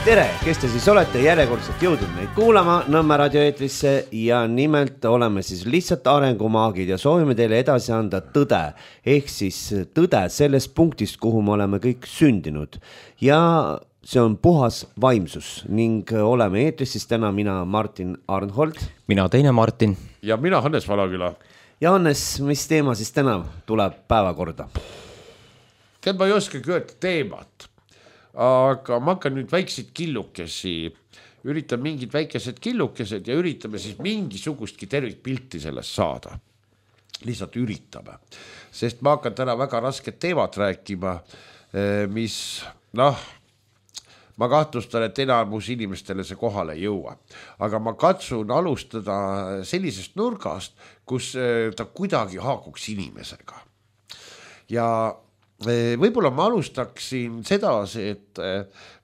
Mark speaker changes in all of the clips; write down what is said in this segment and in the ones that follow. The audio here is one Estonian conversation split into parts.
Speaker 1: Tere, kes te siis olete järjekordselt jõudnud meid kuulama Nõmme raadioeetrisse ja nimelt oleme siis lihtsalt arengumaagid ja soovime teile edasi anda tõde, ehk siis tõde sellest punktist, kuhu me oleme kõik sündinud ja see on puhas vaimsus ning oleme eetris siis täna mina Martin Arnhold.
Speaker 2: Mina teine Martin.
Speaker 3: Ja mina Hannes Valaküla.
Speaker 1: Ja Hannes, mis teema siis täna tuleb päevakorda?
Speaker 3: Tead, ma ei oska öelda teemat. Aga ma hakkan nüüd väikseid killukesi, üritan mingid väikesed killukesed ja üritame siis mingisugustki tervikpilti sellest saada. Lihtsalt üritame. Sest ma hakkan täna väga rasket teemat rääkima, mis, ma kahtlustan, et enamus inimestele see kohale ei jõua. Aga ma katsun alustada sellisest nurgast, kus ta kuidagi haakuks inimesega. Ja võib-olla ma alustaksin sedasi, et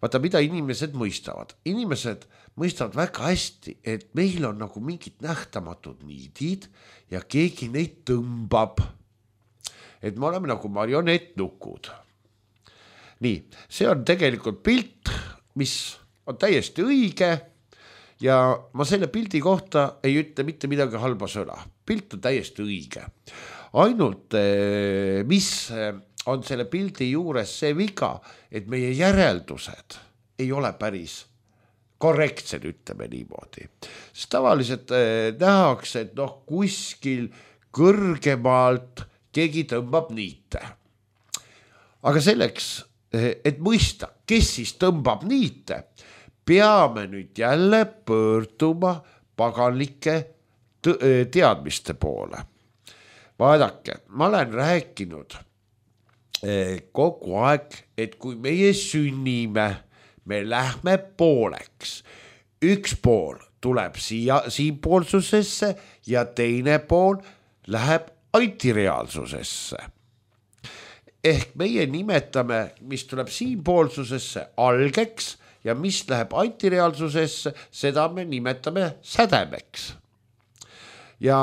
Speaker 3: vaata, mida inimesed mõistavad. Inimesed mõistavad väga hästi, et meil on nagu mingid nähtamatud niidid ja keegi neid tõmbab. Et me oleme nagu marionettnukud. Nii, see on tegelikult pilt, mis on täiesti õige ja ma selle pildi kohta ei ütle mitte midagi halba sõna. Pilt on täiesti õige. Ainult, mis on selle pildi juures see viga, et meie järeldused ei ole päris korrektsed, ütleme niimoodi. Sest tavaliselt nähakse, et kuskil kõrgemalt keegi tõmbab niite. Aga selleks, et mõista, kes siis tõmbab niite, peame nüüd jälle pöörduma paganlike teadmiste poole. Vaadake, ma olen rääkinud kogu aeg, et kui meie sünnime, me lähme pooleks. Üks pool tuleb siinpoolsusesse ja teine pool läheb antireaalsusesse. Ehk meie nimetame, mis tuleb siinpoolsusesse algeks ja mis läheb antireaalsusesse, seda me nimetame sädemeks. Ja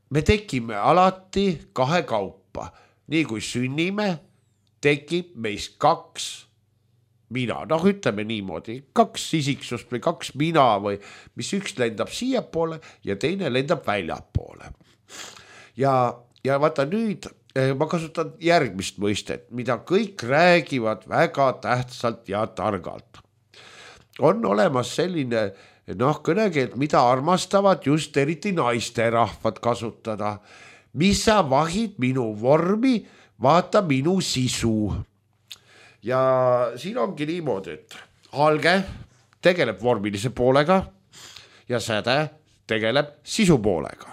Speaker 3: me tekime alati kahe kaupa. Nii kui sünnime, tekib meist kaks mina. Ütleme niimoodi, kaks isiksust või kaks mina või mis üks lendab siia poole ja teine lendab väljapoole. Ja vaata nüüd, ma kasutan järgmist mõistet, mida kõik räägivad väga tähtsalt ja targalt. On olemas selline kõnekeelt, mida armastavad just eriti naisterahvad kasutada. Mis sa vahid minu vormi, vaata minu sisu. Ja siin ongi niimoodi, et alge tegeleb vormilise poolega ja säde tegeleb sisu poolega.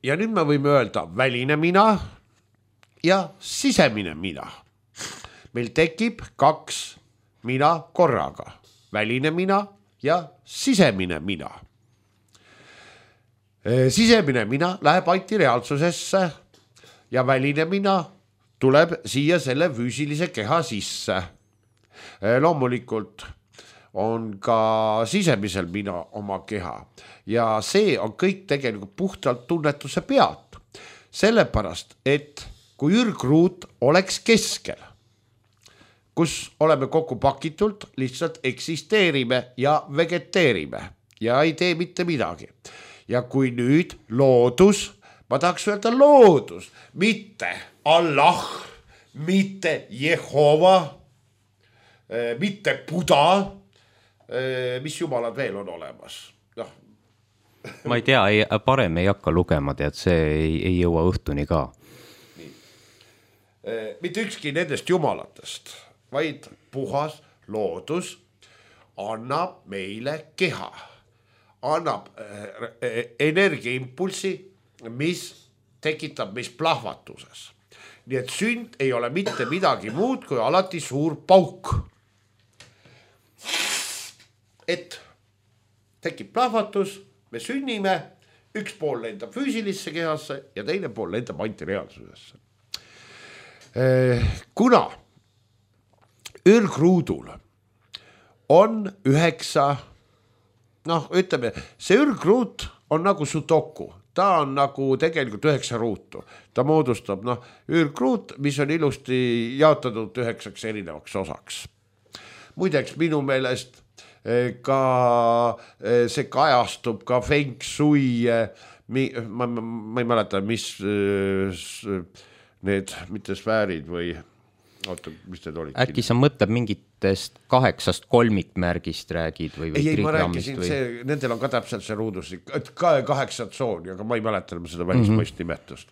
Speaker 3: Ja nüüd me võime öelda väline mina ja sisemine mina. Meil tekib kaks mina korraga. Väline mina ja sisemine mina. Sisemine mina läheb antireaalsusesse ja väline mina tuleb siia selle füüsilise keha sisse. Loomulikult on ka sisemisel mina oma keha ja see on kõik tegelikult puhtalt tunnetuse pealt. Sellepärast, et kui ürgruut oleks keskel, kus oleme kokku pakitult, lihtsalt eksisteerime ja vegeteerime ja ei tee mitte midagi. Ja kui nüüd loodus, ma tahaks öelda loodus, mitte Allah, mitte Jehova, mitte Buda, mis jumalad veel on olemas?
Speaker 2: Ma ei tea, parem ei hakka lugema, tead, see ei jõua õhtuni ka.
Speaker 3: Nii. Mitte ükski nendest jumalatest, vaid puhas loodus annab meile keha. Annab energiaimpulsi, mis tekitab meis plahvatuses. Nii et sünd ei ole mitte midagi muud kui alati suur pauk. Et tekib plahvatus, me sünnime, üks pool lendab füüsilisse kehasse ja teine pool lendab antireaalsusesse. Kuna ürgruudul on 9 ütleme, see ürgruut on nagu sudoku. ta on nagu tegelikult 9 ruutu. Ta moodustab üürkruut, mis on ilusti jaotatud 9 erinevaks osaks. Muideks minu meelest ka see kajastub ka feng shui, ma ei mäleta, mis need, mitte sfäärid või oota, mis need olid?
Speaker 2: Äkki sa mõtled mingitest 8 kolmikmärgist räägid või
Speaker 3: ei, ma rääkisin, nendel on ka täpselt see ruuduslik, 8 tsooni, aga ma ei mäleta seda välismaist nimetust.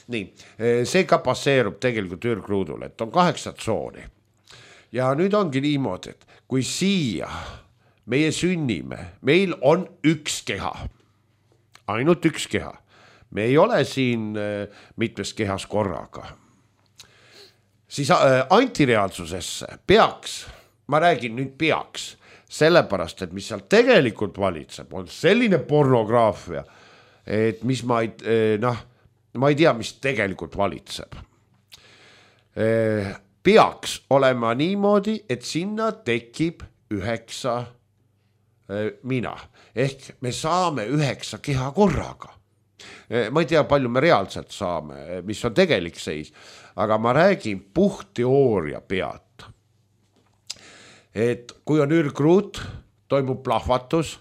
Speaker 3: Nii, see ka passeerub tegelikult üürkruudul, et on 8 tsooni. Ja nüüd ongi niimoodi, et kui siia meie sünnime, meil on üks keha, ainult üks keha. Me ei ole siin mitmes kehas korraga. Siis antireaalsusesse peaks, ma räägin nüüd peaks, sellepärast, et mis seal tegelikult valitseb, on selline pornograafia, et mis ma ei tea, mis tegelikult valitseb. Peaks olema niimoodi, et sinna tekib 9 mina. Ehk me saame 9 keha korraga. Ma ei tea, palju me reaalselt saame, mis on tegelik seis, aga ma räägin puhtteooria pealt. Et kui on üürkruut, toimub plahvatus,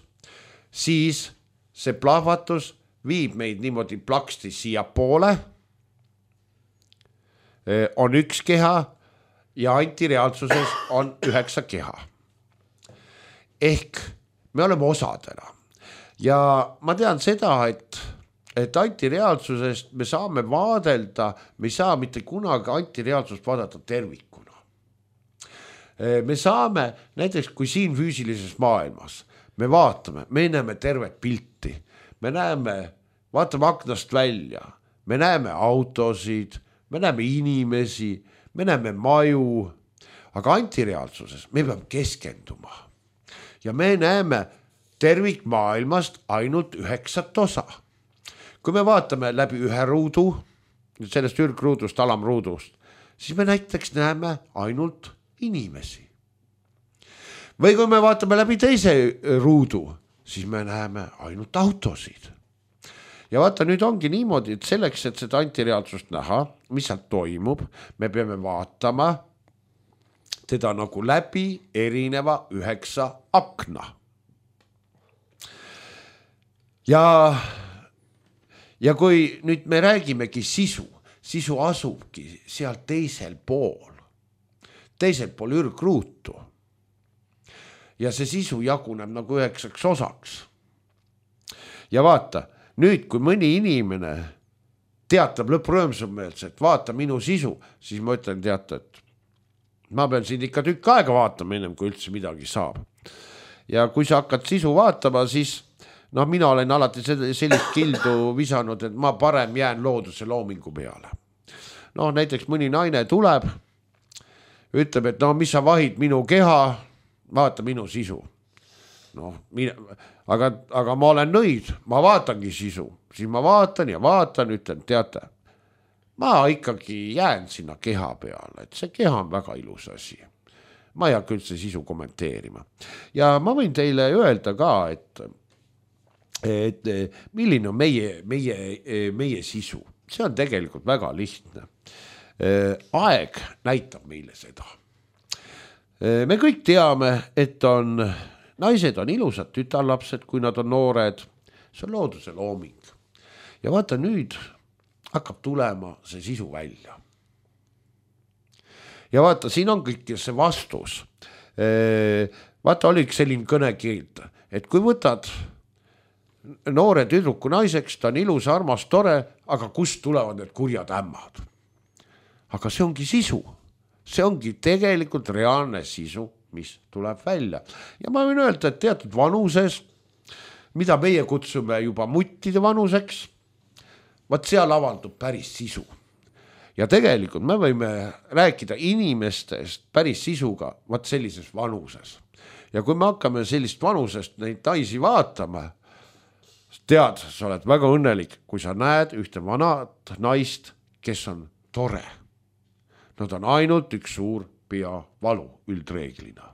Speaker 3: siis see plahvatus viib meid niimoodi plaksti siia poole, on üks keha ja antireaalsuses on 9 keha. Ehk me oleme osadena. Ja ma tean seda, et antireaalsusest me saame vaadelda, me ei saa mitte kunagi antireaalsust vaadata tervikuna. Me saame, näiteks kui siin füüsilises maailmas, me vaatame, me näeme tervet pilti, me näeme, vaatame aknast välja, me näeme autosid, me näeme inimesi, me näeme maju, aga antireaalsuses me peame keskenduma. Ja me näeme tervikmaailmast ainult 9 osa. Kui me vaatame läbi ühe ruudu, sellest üürkruudust, alamruudust, siis me näiteks näeme ainult inimesi. Või kui me vaatame läbi teise ruudu, siis me näeme ainult autosid. Ja vaata, nüüd ongi niimoodi, et selleks, et seda antireaalsust näha, mis seal toimub, me peame vaatama teda nagu läbi erineva 9 akna. Ja kui nüüd me räägimegi sisu asubki seal teisel pool üürkruutu. Ja see sisu jaguneb nagu 9 osaks. Ja vaata, nüüd kui mõni inimene teatab lõpprõõmsumeelselt, vaata minu sisu, siis ma ütlen, teata, et ma pean siin ikka tükk aega vaatama ennem, kui üldse midagi saab. Ja kui sa hakkad sisu vaatama, siis mina olen alati sellist kildu visanud, et ma parem jään looduse loomingu peale. Näiteks mõni naine tuleb, ütleb, et mis sa vahid minu keha, vaata minu sisu. Aga ma olen nõid, ma vaatangi sisu, siis ma vaatan ja vaatan, ütlen, teate, ma ikkagi jään sinna keha peale, et see keha on väga ilus asi. Ma ei hakka üldse sisu kommenteerima. Ja ma võin teile öelda ka, et milline on meie sisu. See on tegelikult väga lihtne. Aeg näitab meile seda. Me kõik teame, et naised on ilusad tütarlapsed, kui nad on noored. See on looduse looming. Ja vaata, nüüd hakkab tulema see sisu välja. Ja vaata, siin on kõik see vastus. Vaata, oli selline kõnekild, et kui võtad noore tüdruku naiseks, ta on ilus, armas, tore, aga kust tulevad need kurjad ämmad? Aga see ongi sisu. See ongi tegelikult reaalne sisu, mis tuleb välja. Ja ma võin öelda, et teatud vanuses, mida meie kutsume juba muttide vanuseks, vaat seal avaldub päris sisu. Ja tegelikult me võime rääkida inimestest päris sisuga vaat sellises vanuses. Ja kui me hakkame sellist vanusest neid naisi vaatama, tead, sa oled väga õnnelik, kui sa näed ühte vanat naist, kes on tore. Nad on ainult üks suur peavalu üldreeglina.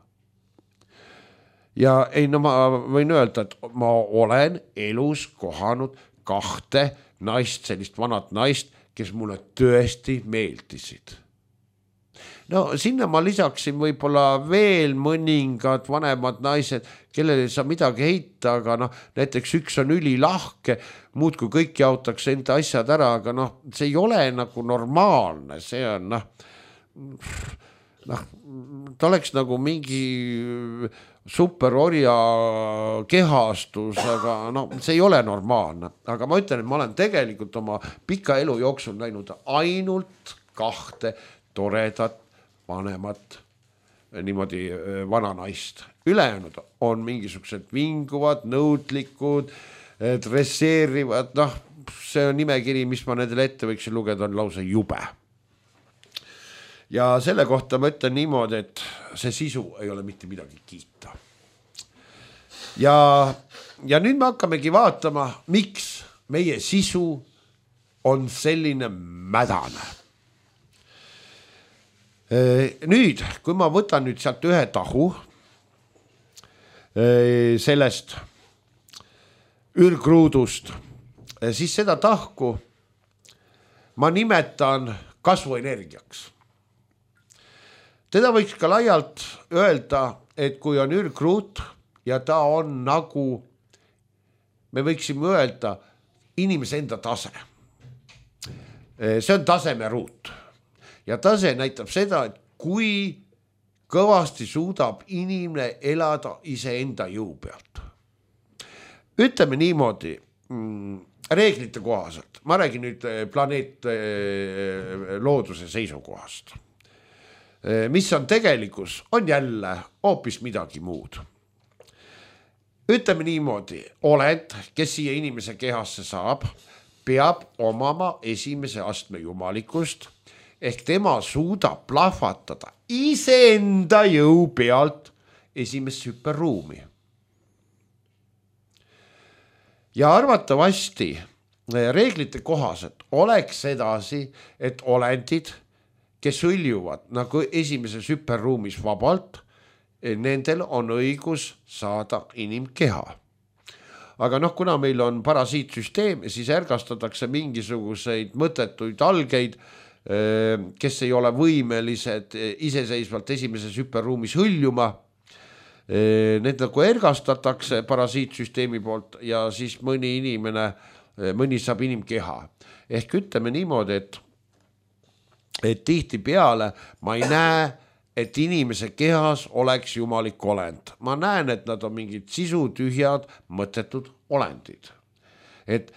Speaker 3: Ja ma võin öelda, et ma olen elus kohanud 2 naist, sellist vanat naist, kes mulle tõesti meeldisid. No sinna ma lisaksin võib-olla veel mõningad vanemad naised, kellele ei saa midagi heita, aga noh, näiteks üks on ülilahke, muud kui kõik jaotaks enda asjad ära, aga noh, see ei ole nagu normaalne, see on noh, ta oleks nagu mingi superorja kehastus, aga no see ei ole normaalne. Aga ma ütlen, et ma olen tegelikult oma pika elu jooksul näinud ainult 2 toredat vanemat niimoodi vananaist. Ülejäänud on mingisugused vinguvad, nõudlikud, dresseerivad, noh, see on nimekiri, mis ma nendele ette võiksin lugeda, on lausa jube. Ja selle kohta ma ütlen niimoodi, et see sisu ei ole mitte midagi kiita. Ja nüüd me hakkamegi vaatama, miks meie sisu on selline mädane. Nüüd, kui ma võtan nüüd sealt ühe tahu sellest ürgruudust, siis seda tahku ma nimetan kasvuenergiaks. Teda võiks ka laialt öelda, et kui on ürgruut ja ta on nagu, me võiksime öelda, inimese enda tase. See on tasemeruut. Ja tase näitab seda, et kui kõvasti suudab inimene elada iseenda jõu pealt. Ütleme niimoodi, reeglite kohaselt, ma räägin nüüd planeet looduse seisukohast. Mis on tegelikkus, on jälle hoopis midagi muud. Ütleme niimoodi, olend, kes siia inimese kehasse saab, peab omama esimese astme jumalikust, ehk tema suudab plahvatada iseenda jõu pealt esimest hüperruumi. Ja arvatavasti reeglite kohaselt oleks edasi, et olendid, kes hõljuvad nagu esimeses hüperruumis vabalt, nendel on õigus saada inimkeha. Aga noh, kuna meil on parasiitsüsteem, siis ärgastatakse mingisuguseid mõttetuid algeid, kes ei ole võimelised iseseisvalt esimeses hüperruumis hõljuma. Need nagu ergastatakse parasiitsüsteemi poolt ja siis mõni saab inimkeha. Ehk ütleme niimoodi, et tihti peale ma ei näe, et inimese kehas oleks jumalik olend. Ma näen, et nad on mingid sisutühjad, mõttetud olendid. Et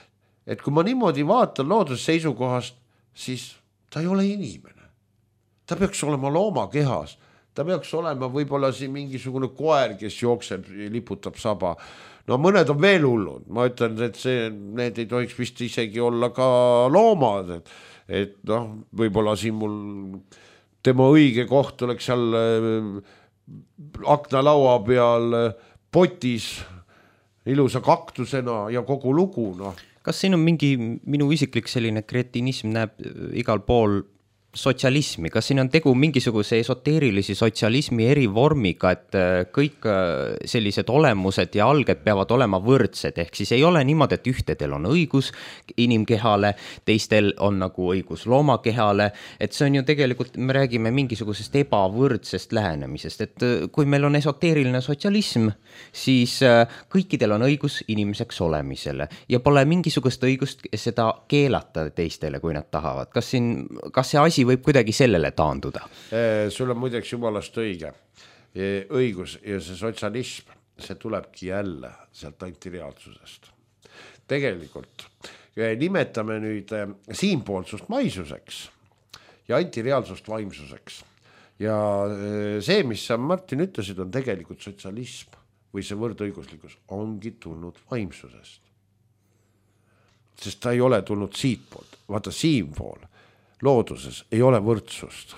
Speaker 3: kui ma niimoodi vaatan looduse seisukohast, siis ta ei ole inimene. Ta peaks olema looma kehas. Ta peaks olema võib-olla siin mingisugune koer, kes jookseb, liputab saba. No mõned on veel hullud. Ma ütlen, et need ei tohiks vist isegi olla ka loomad. Et noh, võib-olla siin mul tema õige koht oleks seal aknalaua peal potis ilusa kaktusena ja kogu lugu, noh.
Speaker 2: Kas siin on mingi minu isiklik selline kretinism näeb igal pool sotsialismi, kas siin on tegu mingisuguse esoteerilisi sotsialismi erivormiga, et kõik sellised olemused ja alged peavad olema võrdsed, ehk siis ei ole niimoodi, et ühtedel on õigus inimkehale, teistel on nagu õigus loomakehale, et see on ju tegelikult, me räägime mingisugusest ebavõrdsest lähenemisest, et kui meil on esoteeriline sotsialism, siis kõikidel on õigus inimeseks olemisele ja pole mingisugust õigust seda keelata teistele, kui nad tahavad. Kas see asi võib kuidagi sellele taanduda?
Speaker 3: Sul on muideks jumalast õigus ja see sotsialism, see tulebki jälle sealt antireaalsusest. Tegelikult nimetame nüüd siinpoolsust maisuseks ja antireaalsust vaimsuseks. Ja see, mis sa Martin ütlesid, on tegelikult sotsialism või see võrdõiguslikkus ongi tulnud vaimsusest. Sest ta ei ole tulnud siitpoolt, vaata siinpool. Looduses ei ole võrdsust.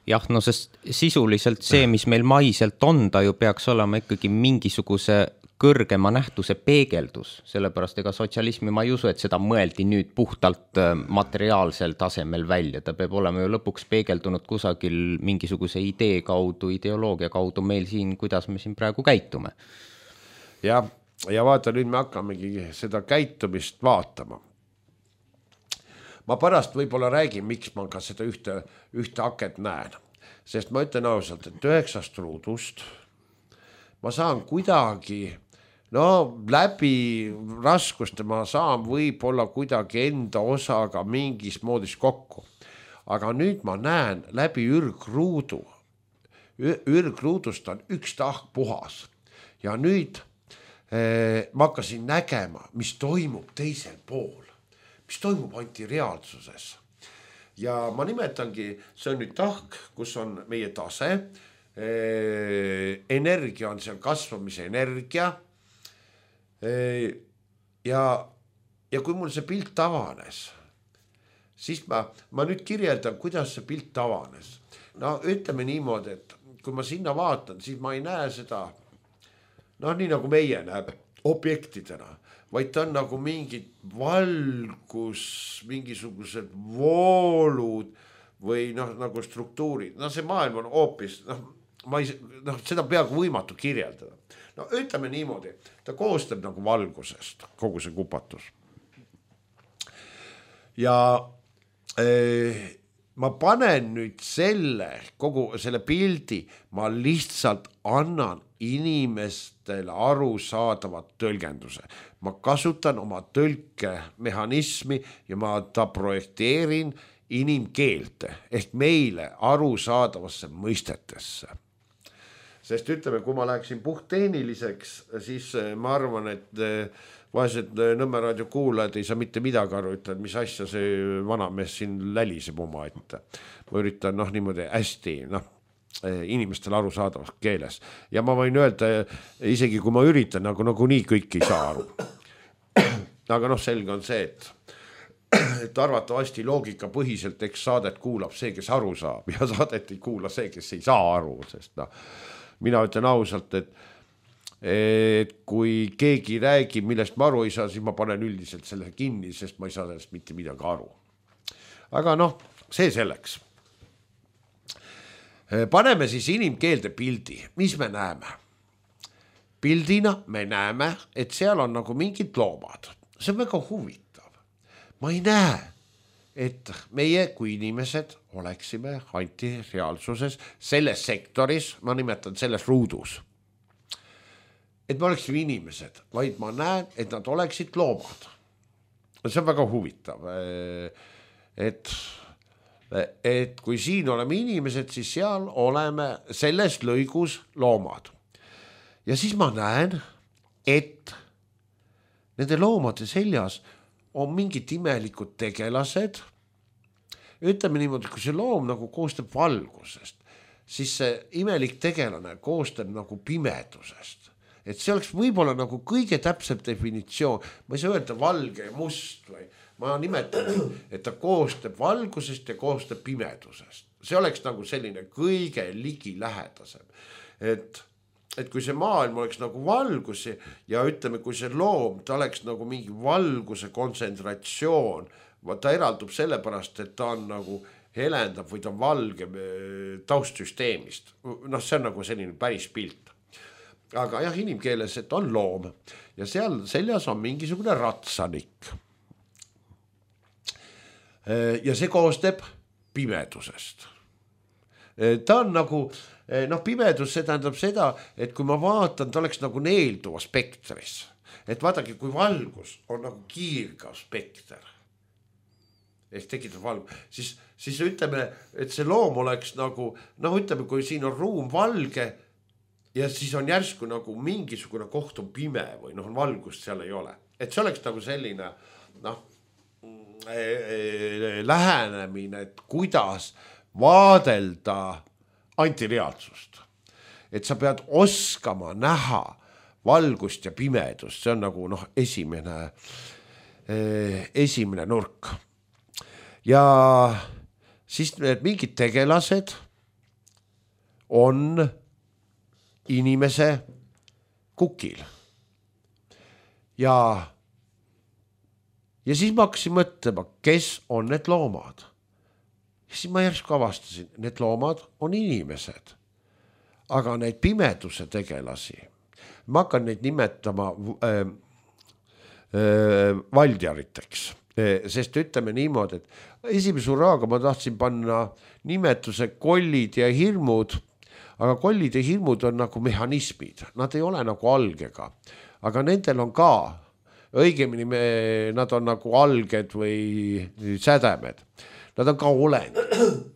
Speaker 2: Jah, no sest sisuliselt see, mis meil maiselt on, ta ju peaks olema ikkagi mingisuguse kõrgema nähtuse peegeldus, sellepärast ega sotsialismi ma ei usu, et seda mõeldi nüüd puhtalt materiaalsel tasemel välja, ta peab olema ju lõpuks peegeldunud kusagil mingisuguse idee kaudu, ideoloogia kaudu meil siin, kuidas me siin praegu käitume.
Speaker 3: Jah, ja vaata, nüüd me hakkamegi seda käitumist vaatama. Ma pärast võib-olla räägin, miks ma ka seda ühte aket näen, sest ma ütlen ausalt, et 9 ruudust ma saan kuidagi, läbi raskuste ma saan võib-olla kuidagi enda osaga mingis moodis kokku. Aga nüüd ma näen läbi ürgruudu. Ürgruudust on üks tahk puhas. Ja nüüd ma hakkasin nägema, mis toimub teisel pool. Mis toimub antireaalsuses. Ja ma nimetangi, see on nüüd tahk, kus on meie tase. Energia on seal kasvamise energia. Ja kui mul see pilt avanes, siis ma nüüd kirjeldan, kuidas see pilt avanes. No ütleme niimoodi, et kui ma sinna vaatan, siis ma ei näe seda, nii nagu meie näeb objektidena, vaid ta on nagu mingid valgus, mingisugused voolud või nagu struktuurid. See maailm on hoopis, seda peaaegu võimatu kirjeldada. Ütleme niimoodi, ta koostab nagu valgusest, kogu see kupatus. Ja ma panen nüüd kogu selle pildi, ma lihtsalt annan inimestele arusaadavat tõlgenduse. Ma kasutan oma tõlkemehhanismi ja ma projekteerin inimkeelte ehk meile arusaadavasse mõistetesse. Sest ütleme, kui ma läheksin puhttehniliseks, siis ma arvan, et vaesed Nõmme raadio kuulajad ei saa mitte midagi aru, ütled, mis asja see vanamees siin läliseb oma ette. Ma üritan niimoodi hästi inimestele arusaadavas keeles. Ja ma võin öelda, isegi kui ma üritan, nagu nii kõik ei saa aru. Aga selge on see, et arvatavasti loogika põhiselt eks saadet kuulab see, kes aru saab ja saadet ei kuula see, kes ei saa aru, sest mina ütlen ausalt, et kui keegi räägib, millest ma aru ei saa, siis ma panen üldiselt selle kinni, sest ma ei saa sellest mitte midagi aru. Aga see selleks. Paneme siis inimkeelde pildi. Mis me näeme? Pildina me näeme, et seal on nagu mingid loomad. See on väga huvitav. Ma ei näe, et meie kui inimesed oleksime antireaalsuses selles sektoris, ma nimetan selles ruudus. Et me oleksime inimesed, vaid ma näen, et nad oleksid loomad. See on väga huvitav. Et kui siin oleme inimesed, siis seal oleme selles lõigus loomad. Ja siis ma näen, et nende loomade seljas on mingid imelikud tegelased. Ütleme niimoodi, kui see loom nagu koostab valgusest, siis see imelik tegelane koostab nagu pimedusest. Et see oleks võib-olla nagu kõige täpsem definitsioon. Ma ei saa öelda valge ja must või ma nimetan, et ta koostab valgusest ja koostab pimedusest. See oleks nagu selline kõige ligilähedasem. Et kui see maailm oleks nagu valgus ja ütleme, kui see loom, ta oleks nagu mingi valguse kontsentratsioon, ta eraldub sellepärast, et ta on nagu helendab või ta on valge taustsüsteemist. See on nagu selline päris pilt. Aga jah, inimkeeles, et on loom ja seal seljas on mingisugune ratsanik. Ja see koostab pimedusest. Ta on nagu, pimedus, see tähendab seda, et kui ma vaatan, ta oleks nagu neelduva spektris. Et vaadake, kui valgus on nagu kiirgav spekter, ehk tekitab valgus, siis ütleme, et see loom oleks nagu, ütleme, kui siin on ruum valge ja siis on järsku nagu mingisugune koht on pime või valgust seal ei ole. Et see oleks nagu selline, lähenemine, et kuidas vaadelda antireaalsust. Et sa pead oskama näha valgust ja pimedust, see on nagu esimene nurk. Ja siis need mingid tegelased on inimese kukil. Ja siis ma hakkasin mõtlema, kes on need loomad. Ja siis ma järsku avastasin, need loomad on inimesed. Aga neid pimeduse tegelasi, ma hakkan neid nimetama valdjariteks, sest ütleme niimoodi, et esimese hurraaga ma tahtsin panna nimetuse kollid ja hirmud, aga kollid ja hirmud on nagu mehhanismid, nad ei ole nagu algega, aga nendel on ka, õigemini nad on nagu alged või sädemed, nad on ka olendid.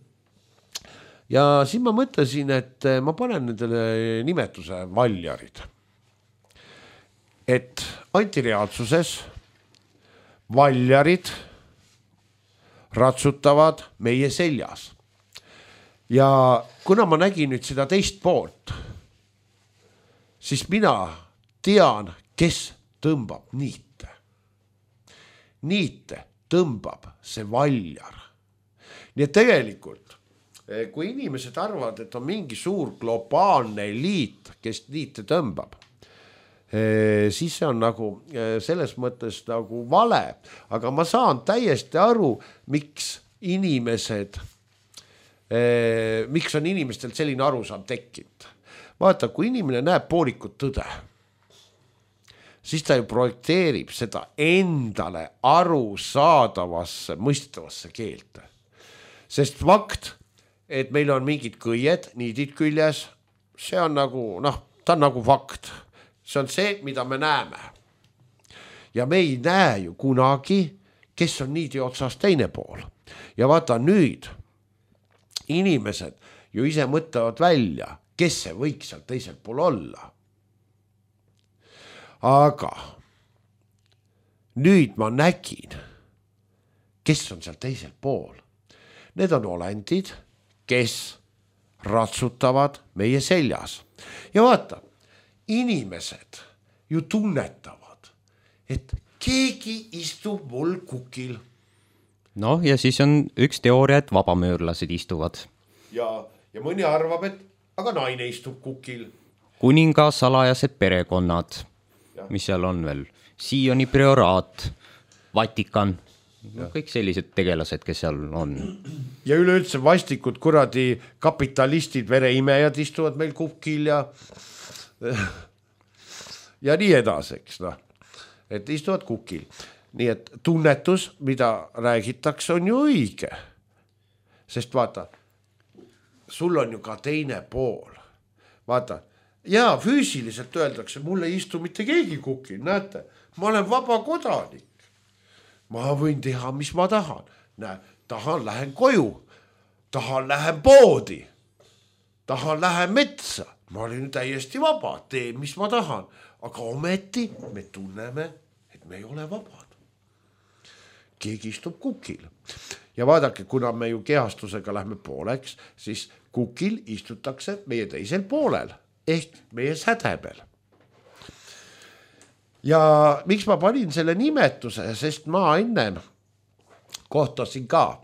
Speaker 3: Ja siis ma mõtlesin, et ma panen nendele nimetuse valjarid. Et antireaalsuses valjarid ratsutavad meie seljas. Ja kuna ma nägin nüüd seda teist poolt, siis mina tean, kes tõmbab niite. Niite tõmbab see valjar. Nii et tegelikult, kui inimesed arvavad, et on mingi suur globaalne eliit, kes niite tõmbab, siis see on nagu selles mõttes nagu vale, aga ma saan täiesti aru, miks on inimestel selline arusaam tekkinud. Vaata, kui inimene näeb poolikut tõde, siis ta ju projekteerib seda endale arusaadavasse, mõistavasse keelte. Sest fakt, et meil on mingid kõied, niidid küljes, see on nagu, ta on nagu fakt. See on see, mida me näeme. Ja me ei näe ju kunagi, kes on niidi otsas teine pool. Ja vaata nüüd, inimesed ju ise mõtlevad välja, kes see võiks seal teisel pool olla. Aga nüüd ma nägin, kes on seal teisel pool. Need on olendid, kes ratsutavad meie seljas. Ja vaata, inimesed ju tunnetavad, et keegi istub mul kukil.
Speaker 2: Noh, ja siis on üks teooria, et vabamöörlased istuvad.
Speaker 3: Ja mõni arvab, et aga naine istub kukil.
Speaker 2: Kuninga salajased perekonnad, mis seal on veel. Sioni prioraat, Vatikan, kõik sellised tegelased, kes seal on.
Speaker 3: Ja üleüldse vastikud kuradi kapitalistid, vereimejad istuvad meil kukil ja nii edaseks, et istuvad kukil. Nii et tunnetus, mida räägitakse, on ju õige. Sest vaata, sul on ju ka teine pool. Vaata, ja füüsiliselt öeldakse, mul ei istu mitte keegi kukil, näete, ma olen vaba kodanik. Ma võin teha, mis ma tahan. Tahan, lähen koju, tahan, lähen poodi, tahan, lähen metsa. Ma olin täiesti vaba, teen, mis ma tahan. Aga ometi me tunneme, et me ei ole vabad. Keegi istub kukil. Ja vaadake, kuna me ju kehastusega lähme pooleks, siis kukil istutakse meie teisel poolel, ehk meie sädebel. Ja miks ma panin selle nimetuse, sest ma enne kohtasin ka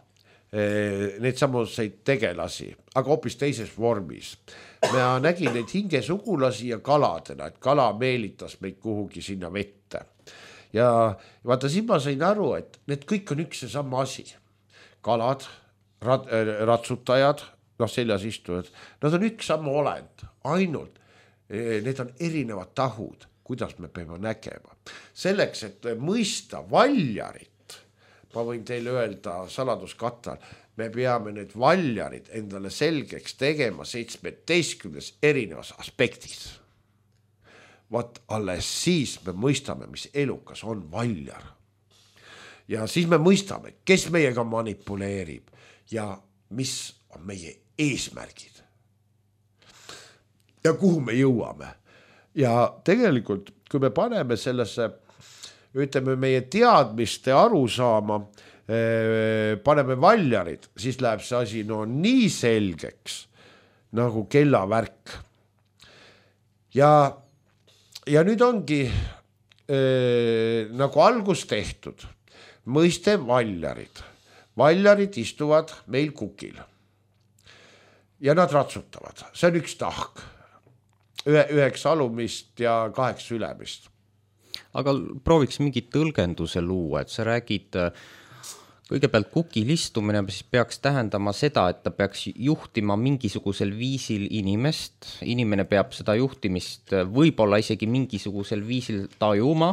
Speaker 3: neid samuseid tegelasi, aga hoopis teises vormis. Ma nägin neid hingesugulasi ja kaladena, et kala meelitas meid kuhugi sinna vette. Ja vaata, siin ma sain aru, et need kõik on üks ja sama asi. Kalad, ratsutajad, seljas istuvad, nad on üks sama olend, ainult need on erinevad tahud, kuidas me peame nägema. Selleks, et mõista valjarit, ma võin teile öelda saladuskattal, me peame need valjarid endale selgeks tegema 17 erinevas aspektis. Vaat alles siis me mõistame, mis elukas on valjar. Ja siis me mõistame, kes meiega manipuleerib ja mis on meie eesmärgid. Ja kuhu me jõuame. Ja tegelikult, kui me paneme sellesse, ütleme meie teadmiste arusaama, paneme valjarid, siis läheb see asi nii selgeks nagu kellavärk. Ja nüüd ongi nagu algus tehtud. Mõiste valjarid. Valjarid istuvad meil kukil. Ja nad ratsutavad. See on üks tahk. 9 alumist ja 8 ülemist.
Speaker 2: Aga prooviks mingi tõlgenduse luua, et sa räägid kõigepealt kukilistumine siis peaks tähendama seda, et ta peaks juhtima mingisugusel viisil inimest, inimene peab seda juhtimist võib-olla isegi mingisugusel viisil tajuma,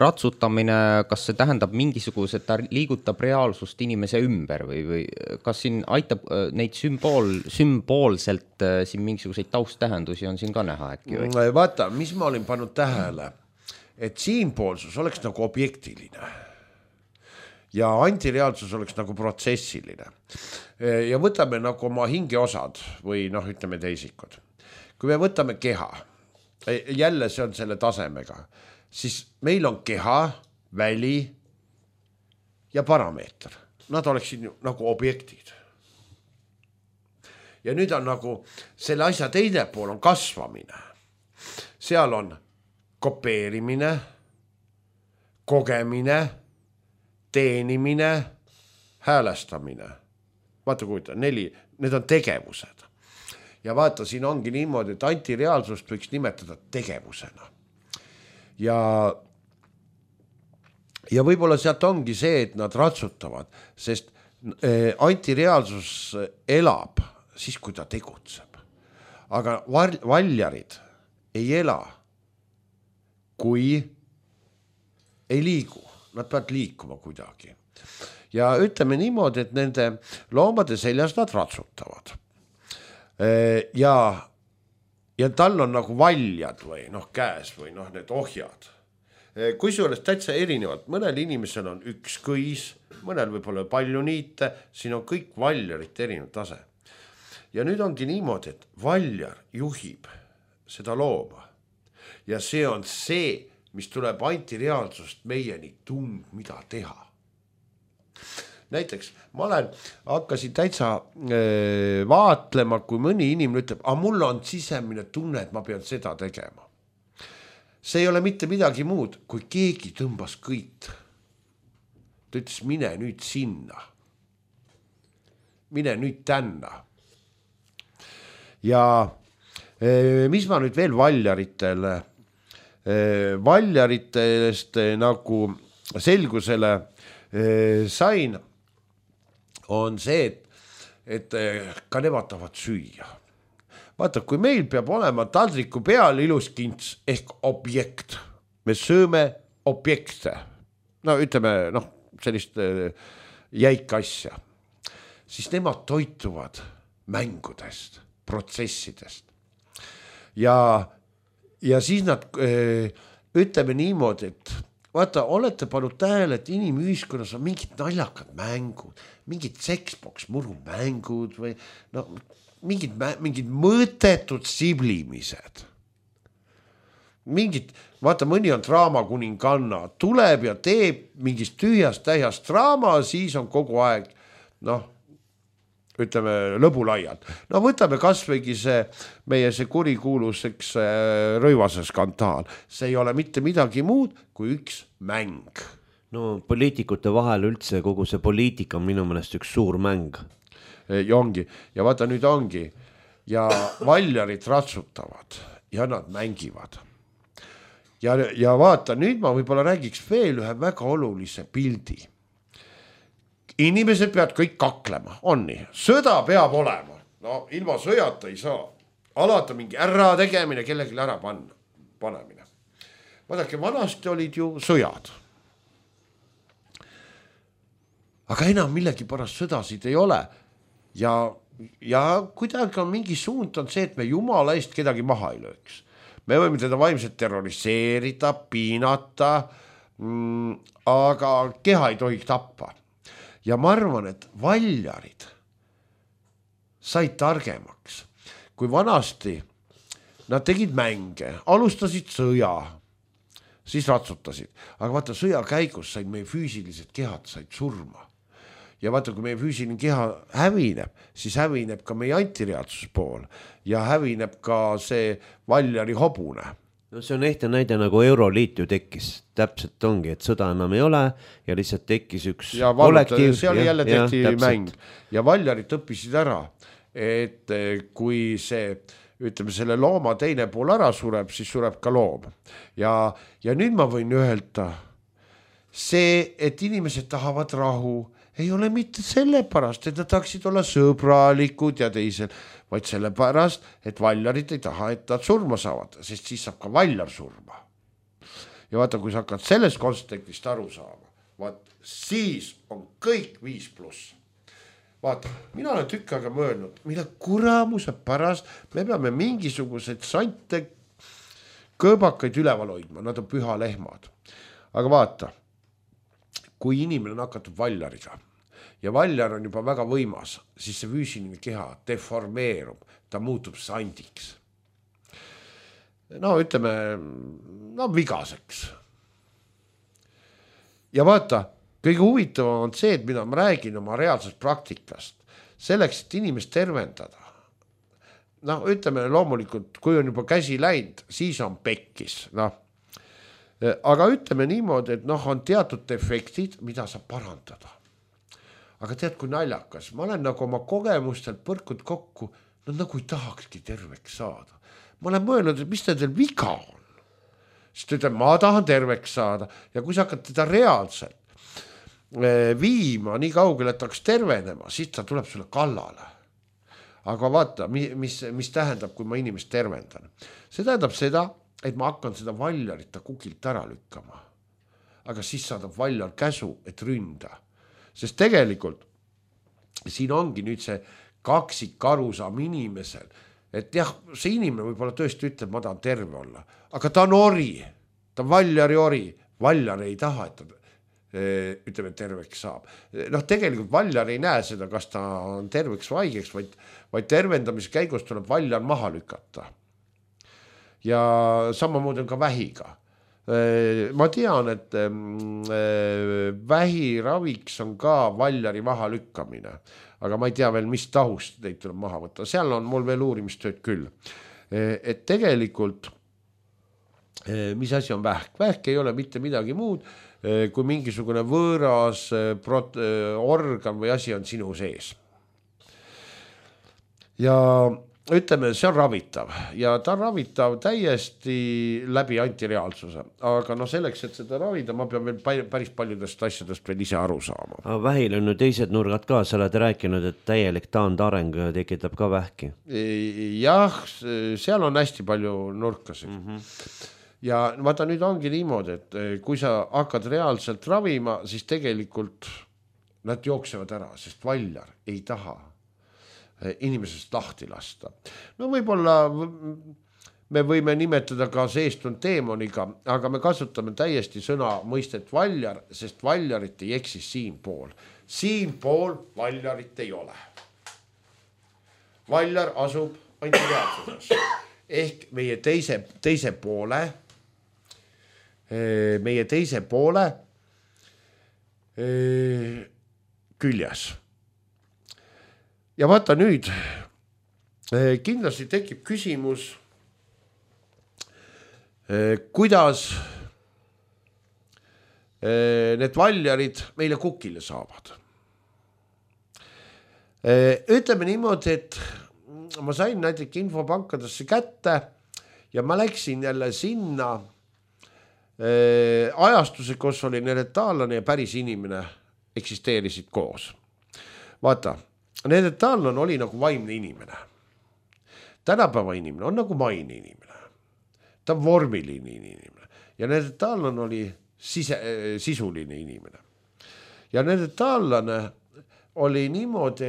Speaker 2: ratsutamine, kas see tähendab mingisuguse, ta liigutab reaalsust inimese ümber või kas siin aitab neid sümboolselt siin mingisuguseid tausttähendusi on siin ka näha äkki või?
Speaker 3: Vaata, mis ma olin pannud tähele, et siinpoolsus oleks nagu objektiline ja antireaalsus oleks nagu protsessiline. Ja võtame nagu oma hingeosad või ütleme teisikud. Kui me võtame keha, jälle see on selle tasemega, siis meil on keha, väli ja parameeter. Nad oleksid nagu objektid. Ja nüüd on nagu selle asja teine pool on kasvamine. Seal on kopeerimine, kogemine, teenimine, häälestamine. Vaata kujuta, 4, need on tegevused. Ja vaata, siin ongi niimoodi, et antireaalsust võiks nimetada tegevusena. Ja võib-olla sealt ongi see, et nad ratsutavad, sest antireaalsus elab siis, kui ta tegutseb. Aga valjarid ei ela, kui ei liigu. Nad peavad liikuma kuidagi. Ja ütleme niimoodi, et nende loomade seljas nad ratsutavad. Ja tal on nagu valjad või käes või need ohjad. Kui see oleks täitsa erinevalt, mõnel inimesel on üks kõis, mõnel võib-olla palju niite, siin on kõik valjarit erinev tase. Ja nüüd ongi niimoodi, et valjar juhib seda looma. Ja see on see, mis tuleb antireaalsust meieni mida teha. Näiteks ma hakkasin täitsa vaatlema, kui mõni inimene ütleb, mul on sisemine tunne, et ma pean seda tegema. See ei ole mitte midagi muud, kui keegi tõmbas kõit. Ta ütles, mine nüüd sinna. Mine nüüd tänna. Ja mis ma nüüd veel valjaritest nagu selgusele sain, on see, et ka nemad tahavad süüa. Vaata, kui meil peab olema taldriku peal ilus kints ehk objekt, me sööme objekte, ütleme sellist jäika asja, siis nemad toituvad mängudest, protsessidest. Ja siis nad ütleme niimoodi, et vaata, olete pannud tähele, et inimühiskonnas on mingid naljakad mängud, mingid seksboks murumängud või mingid mõõtetud siblimised. Vaata, mõni on draamakuninganna, tuleb ja teeb mingist tühjast tähjast draama, siis on kogu aeg, ütleme, lõbulaiad. Võtame kasvõigi meie kurikuulus Rõivase skandaal. See ei ole mitte midagi muud kui üks mäng.
Speaker 1: Poliitikute vahel üldse kogu see poliitika on minu meelest üks suur mäng.
Speaker 3: Ja ongi. Ja vaata, nüüd ongi. Ja valjarid ratsutavad ja nad mängivad. Ja vaata, nüüd ma võib-olla räägiks veel ühe väga olulise pildi. Inimesed peavad kõik kaklema, on nii. Sõda peab olema. Ilma sõjata ei saa. Alati mingi ära tegemine, kellegi ära panemine. Vaadake, vanasti olid ju sõjad. Aga enam millegi pärast sõdasid ei ole. Ja kuidagi on mingi suund on see, et me jumala eest kedagi maha ei lööks. Me võime teda vaimselt terroriseerida, piinata, aga keha ei tohiks tappa. Ja ma arvan, et valjarid said targemaks. Kui vanasti nad tegid mänge, alustasid sõja, siis ratsutasid. Aga vaata, sõja käigus said meie füüsilised kehad said surma. Ja vaata, kui meie füüsiline keha hävineb, siis hävineb ka meie antireaalsus pool ja hävineb ka see valjari hobune.
Speaker 1: See on ehte näide, nagu Euroliit ju tekkis. Täpselt ongi, et sõda enam ei ole ja lihtsalt tekkis üks kollektiiv.
Speaker 3: Seal jälle tehti mäng ja valjarid õppisid ära, et kui see, ütleme, selle looma teine pool ära sureb, siis sureb ka loom. Ja nüüd ma võin öelda, see, et inimesed tahavad rahu, ei ole mitte sellepärast, et nad tahaksid olla sõbralikud ja teisel, vaid sellepärast, et valjarid ei taha, et nad surma saavad, sest siis saab ka valjar surma. Ja vaata, kui sa hakkad sellest kontekstist aru saama, vaat siis on kõik 5+. Vaata, mina olen tükk aega mõelnud, mille kuramuse pärast me peame mingisuguseid sante kõõbakaid üleval hoidma, nad on püha lehmad. Aga vaata, kui inimene on hakatud valjariga ja valjar on juba väga võimas, siis see füüsiline keha deformeerub, ta muutub sandiks. No ütleme, vigaseks. Ja vaata, kõige huvitavam on see, et mida ma räägin oma reaalsest praktikast, selleks, et inimest tervendada. No ütleme loomulikult, kui on juba käsi läinud, siis on pekkis. Aga ütleme niimoodi, et on teatud defektid, mida saab parandada. Aga tead, kui naljakas, ma olen nagu oma kogemustelt põrkud kokku, nagu ei tahakski terveks saada. Ma olen mõelnud, et mis teil viga on. Siis ta ütleb, ma tahan terveks saada ja kui sa hakkad teda reaalselt viima nii kaugele, et hakkas tervenema, siis ta tuleb sulle kallale. Aga vaata, mis tähendab, kui ma inimest tervendan. See tähendab seda, et ma hakkan seda valjarit ta kukilt ära lükkama. Aga siis saadab valjar käsu, et ründa. Sest tegelikult siin ongi nüüd see kaksik arusaam inimesel, et jah, see inimene võib-olla tõesti ütleb, ma tahan terve olla, aga ta on ori, ta on valjari ori, valjar ei taha, et ta ütleme terveks saab. Tegelikult valjar ei näe seda, kas ta on terveks või haigeks, vaid tervendamise käigus tuleb valjar maha lükata. Ja samamoodi on ka vähiga. Ma tean, et vähiraviks on ka valjari maha lükkamine, aga ma ei tea veel, mis tahust neid tuleb maha võtta. Seal on mul veel uurimistööd küll. Et tegelikult, mis asi on vähk? Vähk ei ole mitte midagi muud, kui mingisugune võõras organ või asi on sinu sees. Ja ütleme, see on ravitav ja ta on ravitav täiesti läbi antireaalsuse, aga selleks, et seda ravida, ma pean veel päris paljudest asjadest veel ise aru saama.
Speaker 1: Aga vähil on ju teised nurgad ka, sa oled rääkinud, et täielik taandareng tekitab ka vähki.
Speaker 3: Jah, seal on hästi palju nurkasid. Ja vaata, nüüd ongi niimoodi, et kui sa hakkad reaalselt ravima, siis tegelikult nad jooksevad ära, sest valjar ei taha inimesest lahti lasta. Võib-olla me võime nimetada ka seestunud teemoniga, aga me kasutame täiesti sõna mõistet valjar, sest valjarit ei eksi siinpool. Siinpool valjarit ei ole. Valjar asub antireaalsuses. Ehk meie teise poole küljes. Ja vaata nüüd, kindlasti tekib küsimus, kuidas need valjarid meile kukile saavad. Ütleme niimoodi, et ma sain näiteks infopankadesse kätte ja ma läksin jälle sinna ajastuse, kus oli neretaalane ja päris inimene eksisteerisid koos. Vaata, neretaalane oli nagu vaimne inimene. Tänapäeva inimene on nagu maine inimene. Ta on vormiline inimene. Ja neretaalane oli sisuline inimene. Ja neretaalane oli niimoodi,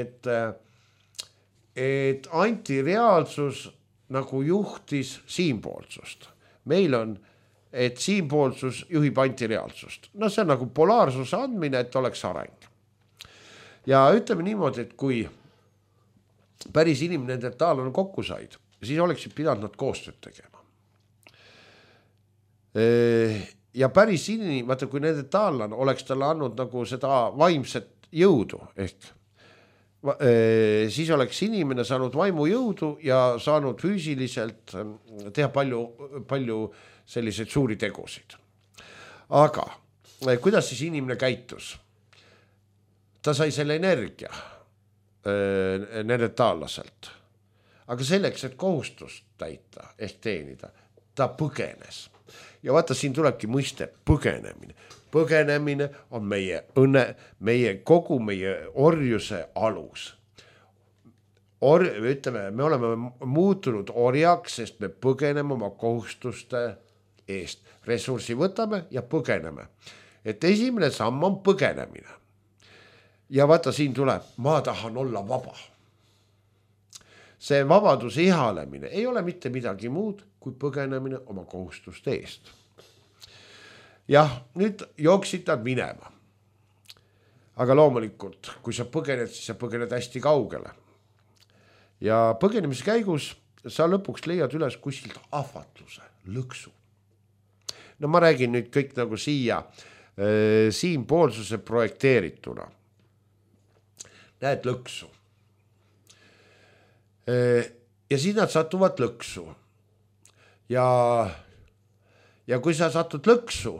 Speaker 3: et antireaalsus nagu juhtis siinpoolsust. Meil on, et siinpoolsus juhib antireaalsust. See on nagu polaarsuse andmine, et oleks areng. Ja ütleme niimoodi, et kui päris inimene neretaalane kokku said, siis oleksid pidanud nad koostööd tegema. Ja päris inimene, vaata, kui neretaalane oleks talle andnud nagu seda vaimset jõudu, ehk siis oleks inimene saanud vaimu jõudu ja saanud füüsiliselt teha palju selliseid suuri tegusid. Aga kuidas siis inimene käitus? Ta sai selle energia neretaallaselt. Aga selleks, et kohustust täita ehk teenida, ta põgenes. ja vaata, siin tulebki mõiste põgenemine. Põgenemine on meie õnne, kogu meie orjuse alus. Ütleme, me oleme muutunud orjaks, sest me põgeneme oma kohustuste eest. Ressursi võtame ja põgeneme. Et esimene samm on põgenemine. Ja vaata, siin tuleb, ma tahan olla vaba. See vabaduse ihalemine ei ole mitte midagi muud kui põgenemine oma kohustuste eest. Jah, nüüd jooksid nad minema. Aga loomulikult, kui sa põgened, siis sa põgened hästi kaugele. Ja põgenemise käigus sa lõpuks leiad üles kuskilt ahvatluse, lõksu. No ma räägin nüüd kõik nagu siinpoolsuse projekteerituna. Näed lõksu. Ja siis nad satuvad lõksu. Ja kui sa satud lõksu,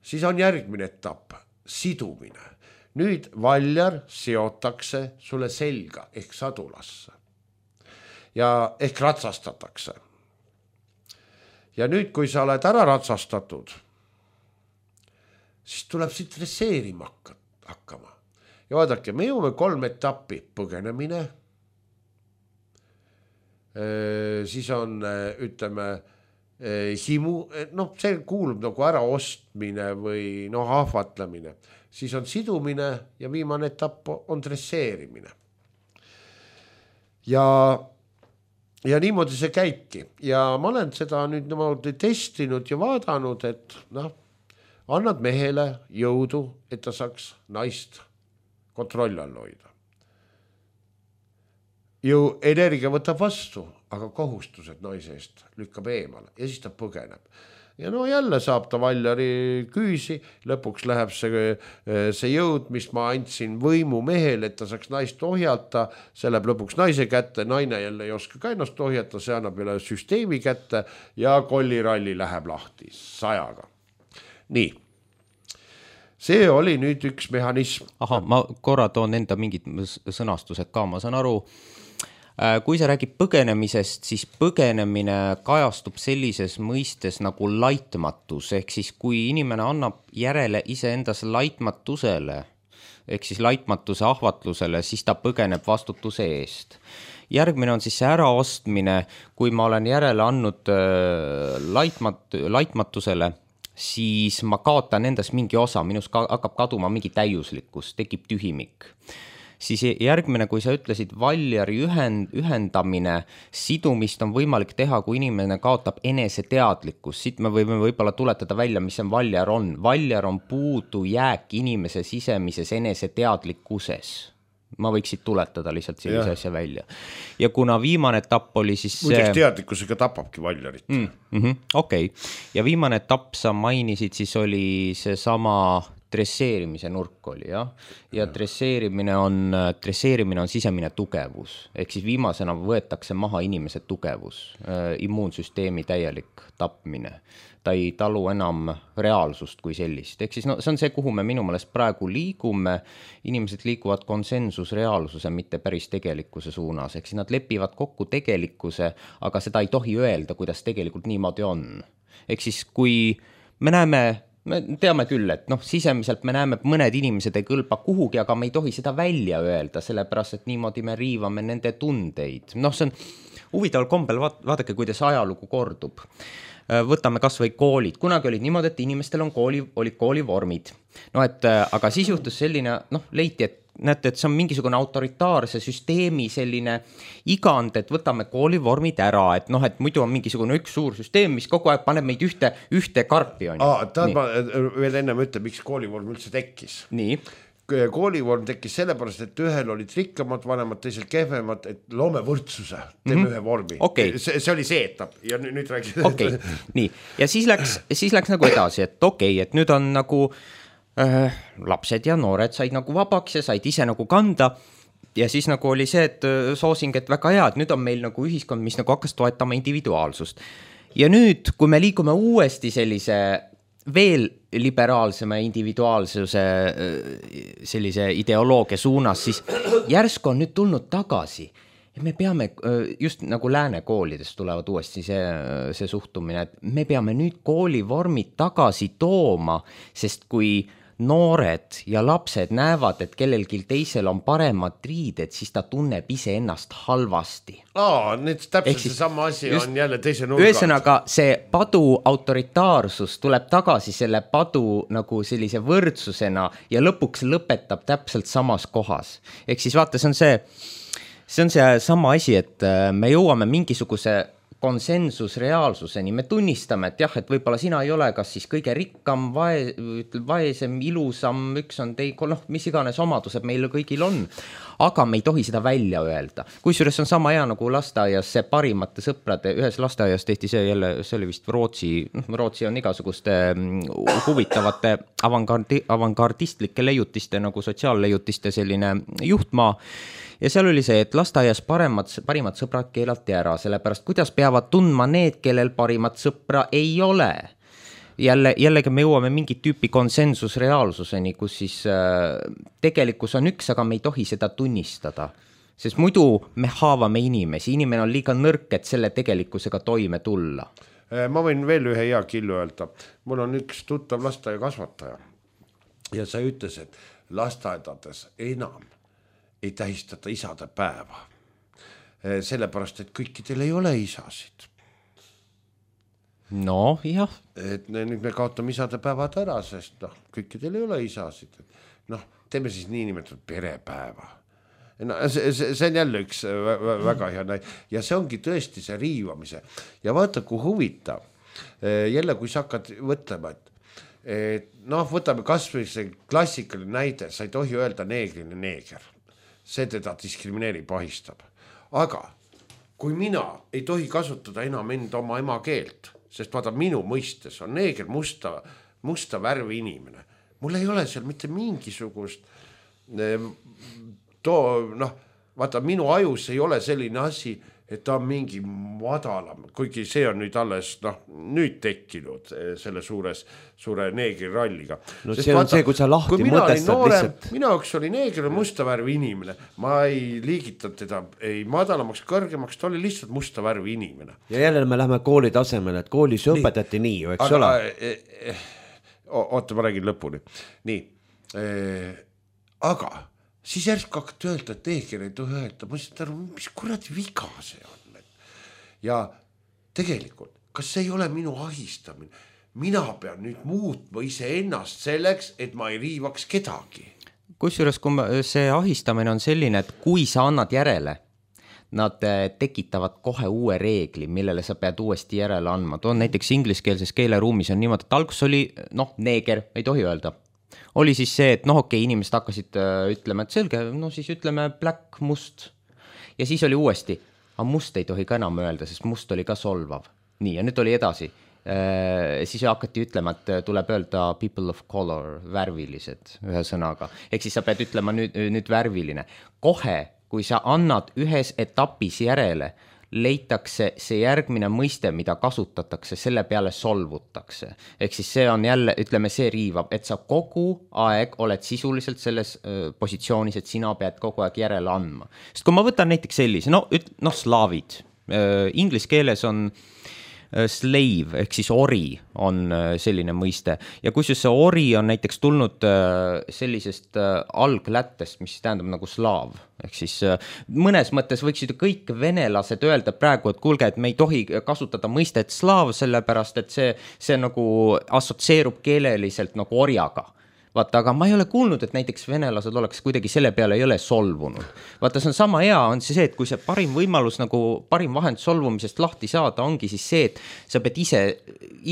Speaker 3: siis on järgmine etapp, sidumine. Nüüd valjar seotakse sulle selga ehk sadulasse. Ja ehk ratsastatakse. Ja nüüd, kui sa oled ära ratsastatud, siis tuleb siit dresseerima hakkama. Ja vaadake, me jõuame 3 etappi, põgenemine, siis on, ütleme, himu, see kuulub nagu ära ostmine või ahvatlemine, siis on sidumine ja viimane etapp on dresseerimine. Ja niimoodi see käibki. Ja ma olen seda nüüd niimoodi testinud ja vaadanud, et annad mehele jõudu, et ta saaks naist kontrolli all hoida. Energia võtab vastu, aga kohustused naise eest lükkab eemale ja siis ta põgeneb. Ja jälle saab ta valjari küüsi, lõpuks läheb see jõud, mis ma andsin võimu mehele, et ta saaks naist ohjata, see läheb lõpuks naise kätte, naine jälle ei oska ka ennast ohjata, see annab jälle süsteemi kätte ja kolliralli läheb lahti 100-ga. Nii, see oli nüüd üks mehhanism.
Speaker 2: Aha, ma korra toon enda mingid sõnastused ka, ma saan aru. Kui sa räägid põgenemisest, siis põgenemine kajastub sellises mõistes nagu laitmatus, ehk siis kui inimene annab järele iseendas laitmatusele, ehk siis laitmatuse ahvatlusele, siis ta põgeneb vastutuse eest. Järgmine on siis see äraostmine, kui ma olen järele andnud laitmatusele, siis ma kaotan endas mingi osa, minus hakkab kaduma mingi täiuslikkus, tekib tühimik. Siis järgmine, kui sa ütlesid valjari ühendamine, sidumist on võimalik teha, kui inimene kaotab eneseteadlikkus. Siit me võime võib-olla tuletada välja, mis see valjar on. Valjar on puudu jääk inimese sisemises eneseteadlikkuses. Ma võiksid tuletada lihtsalt sellise asja välja. Ja kuna viimane etapp oli siis
Speaker 3: muideks teadlikkusega tapabki valjarit.
Speaker 2: Okei. Ja viimane etapp sa mainisid, siis oli see sama dresseerimise nurk oli, jah? Ja dresseerimine on sisemine tugevus. Ehk siis viimasena võetakse maha inimese tugevus, immuunsüsteemi täielik tapmine. Ta ei talu enam reaalsust kui sellist. Ehk siis see on see, kuhu me minu meelest praegu liigume. Inimesed liiguvad konsensusreaalsuse, mitte päris tegelikkuse suunas. Ehk siis nad lepivad kokku tegelikkuse, aga seda ei tohi öelda, kuidas tegelikult niimoodi on. Ehk siis kui me teame küll, et sisemiselt me näeme, et mõned inimesed ei kõlba kuhugi, aga me ei tohi seda välja öelda, sellepärast, et niimoodi me riivame nende tundeid. See on huvitaval kombel, vaadake, kuidas ajalugu kordub. Võtame kas või koolid. Kunagi olid niimoodi, et inimestel olid koolivormid. Aga siis juhtus selline, leiti, et näete, et see on mingisugune autoritaarse süsteemi selline igand, et võtame koolivormid ära, et muidu on mingisugune üks suur süsteem, mis kogu aeg paneb meid ühte karpi.
Speaker 3: Ma veel ennem ütlen, miks koolivorm üldse tekkis.
Speaker 2: Nii.
Speaker 3: Koolivorm tekkis sellepärast, et ühel olid rikkamad vanemad, teisel kehvemad, et loome võrdsuse, teeme ühe vormi.
Speaker 2: Okay.
Speaker 3: See oli see etapp ja nüüd räägis.
Speaker 2: Okay. Nii. Ja siis läks nagu edasi, et et nüüd on nagu lapsed ja noored said nagu vabaks ja said ise nagu kanda ja siis nagu oli see, et soosing, et väga hea, et nüüd on meil nagu ühiskond, mis nagu hakkas toetama individuaalsust. Ja nüüd, kui me liigume uuesti sellise veel liberaalsema individuaalsuse sellise ideoloogia suunas, siis järsku on nüüd tulnud tagasi, me peame, just nagu lääne koolidest tulevad uuesti see suhtumine, et me peame nüüd koolivormid tagasi tooma, sest kui noored ja lapsed näevad, et kellelgi teisel on paremad riided, siis ta tunneb ise ennast halvasti.
Speaker 3: Nüüd täpselt see sama asi on jälle teise nurga.
Speaker 2: Ühesõnaga, see padu autoritaarsus tuleb tagasi selle padu nagu sellise võrdsusena ja lõpuks lõpetab täpselt samas kohas. Ehk siis vaata, see on see sama asi, et me jõuame mingisuguse konsensusreaalsuseni, me tunnistame, et jah, et võib-olla sina ei ole kas siis kõige rikkam, vaesem, ilusam, üks on mis iganes omadused meil kõigil on, aga me ei tohi seda välja öelda. Kusjuures on sama hea nagu lasteaias see parimate sõprade, ühes lasteaias tehti see jälle, see oli vist Rootsi on igasuguste huvitavate avangardistlike leiutiste nagu sotsiaalleiutiste selline juhtmaa. Ja seal oli see, et lasteaias parimad sõbrad keelati ära, sellepärast kuidas peavad tundma need, kellel parimat sõpra ei ole. Jällegi me jõuame mingi tüüpi konsensusreaalsuseni, kus siis tegelikkus on üks, aga me ei tohi seda tunnistada. Sest muidu me haavame inimesi, inimene on liiga nõrk, et selle tegelikkusega toime tulla.
Speaker 3: Ma võin veel ühe hea killu öelda. Mul on üks tuttav lasteaia kasvataja ja sa ütles, et lasteaedades enam ei tähistata isade päeva. Sellepärast, et kõikidel ei ole isasid.
Speaker 2: No, jah.
Speaker 3: Et nüüd me kaotame isade päevad ära, sest kõikidel ei ole isasid. Teeme siis niinimetatud perepäeva. See on jälle üks väga hea näide. Ja see ongi tõesti see riivamise. Ja vaata, kui huvitav. Jälle, kui sa hakkad võtlema, et võtame kas või see klassikaline näide, sa ei tohi öelda neegrile neeger. See teda diskrimineerib, ahistab. Aga kui mina ei tohi kasutada enam oma ema keelt, sest vaata minu mõistes on neeger musta värvi inimene. Mul ei ole seal mitte mingisugust vaata minu ajus ei ole selline asi, et ta on mingi madalam, kuigi see on nüüd alles nüüd tekkinud selle suure neegri ralliga.
Speaker 1: No see on see, kui sa lahti mõtestad lihtsalt.
Speaker 3: Mina üks oli neegri musta värvi inimene, ma ei liigitanud teda ei madalamaks, kõrgemaks, ta oli lihtsalt musta värvi inimene.
Speaker 1: Ja jälle me lähme kooli tasemele, et koolis õpetati nii ju, eks ole?
Speaker 3: Oota, ma räägin lõpuni. Nii, aga siis järsku hakkad öelda, et neeger ei tohi öelda. Ma ütlen, aru, mis kuradi viga see on. Ja tegelikult, kas see ei ole minu ahistamine? Mina pean nüüd muutma ise ennast selleks, et ma ei riivaks kedagi.
Speaker 2: Kusjuures see ahistamine on selline, et kui sa annad järele, nad tekitavad kohe uue reegli, millele sa pead uuesti järele andma. Toon näiteks ingliskeelses keeleruumis on niimoodi, et algus oli, neeger, ei tohi öelda. Oli siis see, et inimesed hakkasid ütlema, et selge, siis ütleme black, must. Ja siis oli uuesti, aga must ei tohi ka enam öelda, sest must oli ka solvav. Nii, ja nüüd oli edasi. Siis hakati ütlema, et tuleb öelda people of color, värvilised ühe sõnaga. Ehk siis sa pead ütlema nüüd värviline. Kohe, kui sa annad ühes etapis järele, leitakse see järgmine mõiste, mida kasutatakse, selle peale solvutakse. Ehk siis see on jälle, ütleme, see riivab, et sa kogu aeg oled sisuliselt selles positsioonis, et sina pead kogu aeg järele andma. Sest kui ma võtan näiteks sellise, slaavid, inglise keeles on slave, ehk siis ori on selline mõiste. Ja kusjuures see ori on näiteks tulnud sellisest alglättest, mis tähendab nagu slaav. Ehk siis mõnes mõttes võiksid kõik venelased öelda praegu, et kuulge, et me ei tohi kasutada mõistet slaav, sellepärast et see nagu assotsieerub keeleliselt nagu orjaga. Vaata, aga ma ei ole kuulnud, et näiteks venelased oleks kuidagi selle peale ei ole solvunud. Vaata, see on sama hea, on see, et kui see parim võimalus, nagu parim vahend solvumisest lahti saada, ongi siis see, et sa pead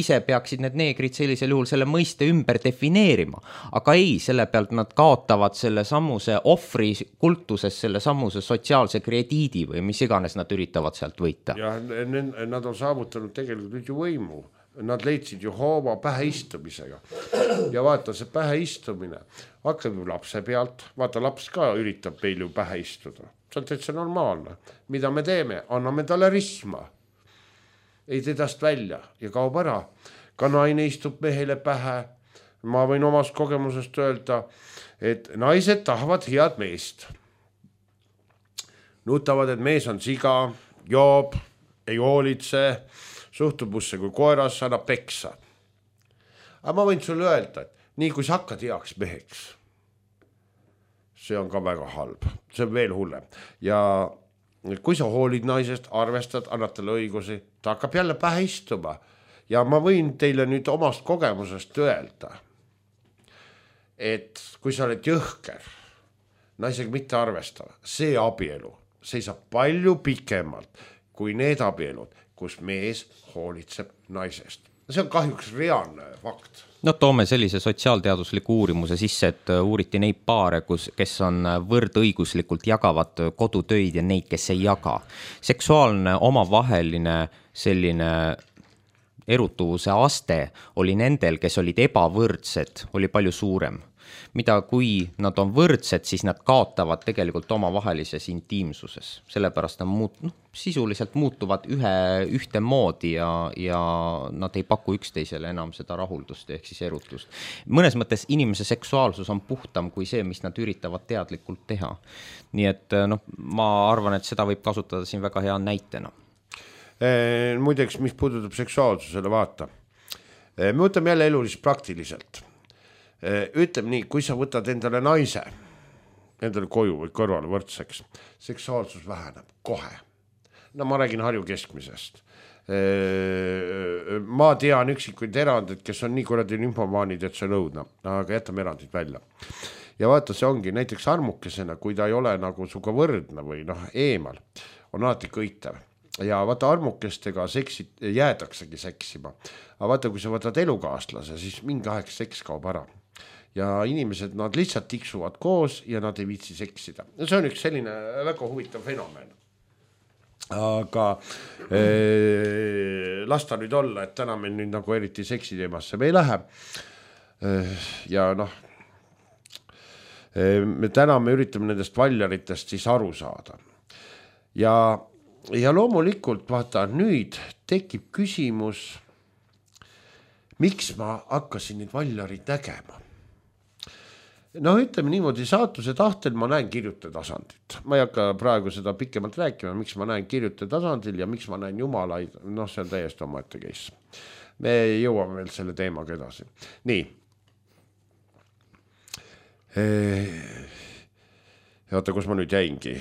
Speaker 2: ise peaksid need neegrid sellisel juhul selle mõiste ümber defineerima. Aga ei, selle pealt nad kaotavad selle samuse ohvri kultuses, selle samuse sotsiaalse krediidi või mis iganes nad üritavad sealt võita.
Speaker 3: Ja nad on saavutanud tegelikult nüüd ju võimu. Nad leidsid ju hoova päheistumisega. Ja vaata, see päheistumine hakkab ju lapse pealt. Vaata, laps ka üritab meil ju päheistuda. See on täitsa normaalne. Mida me teeme? Anname talle risma. Ei tedast välja ja kaob ära. Ka naine istub mehele pähe. Ma võin omast kogemusest öelda, et naised tahavad head meest. nutavad, et mees on siga, joob, ei hoolitse, suhtub musse kui koeras, annab peksa. Aga ma võin sulle öelda, et nii kui sa hakkad heaks meheks, see on ka väga halb, see on veel hullem. Ja kui sa hoolid naisest, arvestad, annad talle õigusi, ta hakkab jälle pähe istuma. Ja ma võin teile nüüd omast kogemusest öelda, et kui sa oled jõhker, naisega mitte arvestav, see abielu seisab palju pikemalt kui need abielud, kus mees hoolitseb naisest. See on kahjuks reaalne fakt.
Speaker 2: No toome sellise sotsiaalteadusliku uurimuse sisse, et uuriti neid paare, kes on võrdõiguslikult jagavad kodutöid ja neid, kes ei jaga. Seksuaalne omavaheline selline erutuvuse aste oli nendel, kes olid ebavõrdsed, oli palju suurem. Mida kui nad on võrdsed, siis nad kaotavad tegelikult omavahelises intiimsuses. Sellepärast nad sisuliselt muutuvad ühte moodi ja nad ei paku üksteisele enam seda rahuldust ehk siis erutust. Mõnes mõttes inimese seksuaalsus on puhtam kui see, mis nad üritavad teadlikult teha. Nii et ma arvan, et seda võib kasutada siin väga hea näitena.
Speaker 3: Muideks, mis puudutab seksuaalsusele, vaata. Me võtame jälle elulist praktiliselt. Ütleme nii, kui sa võtad endale naise, endale koju või kõrvale võrdseks, seksuaalsus väheneb kohe. No ma räägin Harju keskmisest. Ma tean üksikuid erandid, kes on nii kuradi nymfomaanid, et see on õudne, aga jätame erandid välja. Ja vaata, see ongi näiteks armukesena, kui ta ei ole nagu suga võrdne või eemal, on alati kõitev. Ja vaata armukestega jäädaksegi seksima. Aga vaata, kui sa võtad elukaaslase, siis mingi aeg seks kaob ära. Ja inimesed, nad lihtsalt tiksuvad koos ja nad ei viitsi seksida. See on üks selline väga huvitav fenomen. Aga lasta nüüd olla, et täna meil nüüd nagu eriti seksi teemasse me ei lähe. Ja täna me üritame nendest valjaritest siis aru saada. Ja loomulikult, vaata, nüüd tekib küsimus, miks ma hakkasin neid valjarid nägema. Ütleme niimoodi, saatuse tahtel ma näen kirjutaja tasandit. Ma ei hakka praegu seda pikemalt rääkima, miks ma näen kirjutaja tasandil ja miks ma näen jumalaid, see on täiesti omaette case. Me jõuame veel selle teemaga edasi. Nii. Oota, kus ma nüüd jäingi?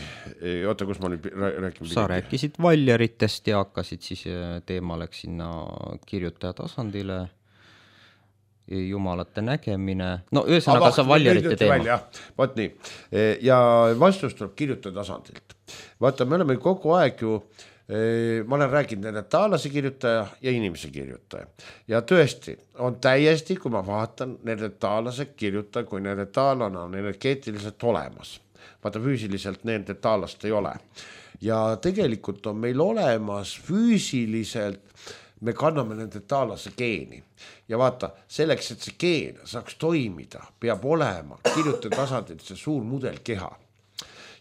Speaker 3: Oota, kus ma nüüd räägin?
Speaker 2: Sa rääkisid valjaritest ja hakkasid siis teema läks sinna kirjutaja tasandile. Jumalate nägemine. Ühesõnaga sa valjarite teema.
Speaker 3: Vaat nii. Ja vastus tuleb kirjutaja tasandilt. Vaata, me oleme kogu aeg ju, ma olen rääkinud neretaalase kirjutaja ja inimese kirjutaja. Ja tõesti, on täiesti, kui ma vaatan neretaalase kirjutaja, kui neretaalana on energeetiliselt olemas. Vaata, füüsiliselt neretaalast ei ole. Ja tegelikult on meil olemas füüsiliselt, me kanname nende taalase geeni. Ja vaata, selleks, et see geen saaks toimida, peab olema kirjutaja tasandil see suur mudelkeha.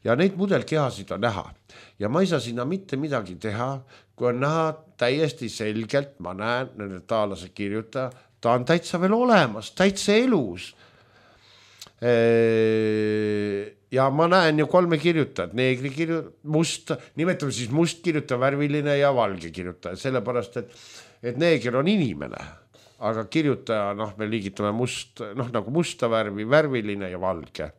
Speaker 3: Ja neid mudelkehasid on näha. Ja ma ei saa sinna mitte midagi teha, kui on näha täiesti selgelt, ma näen nende taalase kirjutaja, ta on täitsa veel olemas, täitsa elus. Ja ma näen ju 3 kirjutajat, neegri must, nimetame siis must kirjutaja, värviline ja valge kirjutaja, sellepärast, et neeger on inimene, aga kirjutaja, me liigitame must, nagu musta värvi, värviline ja valge.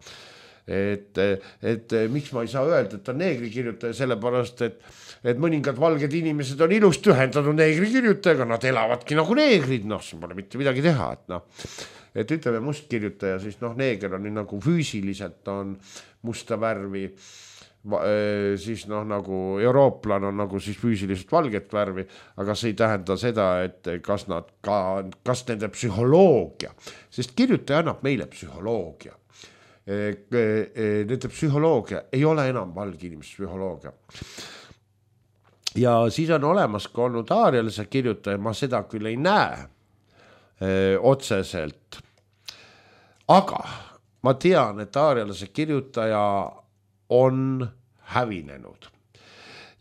Speaker 3: Et miks ma ei saa öelda, et on neegri kirjutaja, sellepärast, et mõningad valged inimesed on ilust ühendatud neegri kirjutajaga, nad elavadki nagu neegrid, siin pole mitte midagi teha, et ütleme must kirjutaja, siis neeger on nagu füüsiliselt on musta värvi, siis nagu eurooplan on nagu siis füüsiliselt valget värvi, aga see ei tähenda seda, et kas nende psühholoogia, sest kirjutaja annab meile psühholoogia. Nende psühholoogia ei ole enam valge inimeste psühholoogia. Ja siis on olemas ka olnud aarialise kirjutaja, ma seda küll ei näe otseselt. Aga ma tean, et aarialase kirjutaja on hävinenud.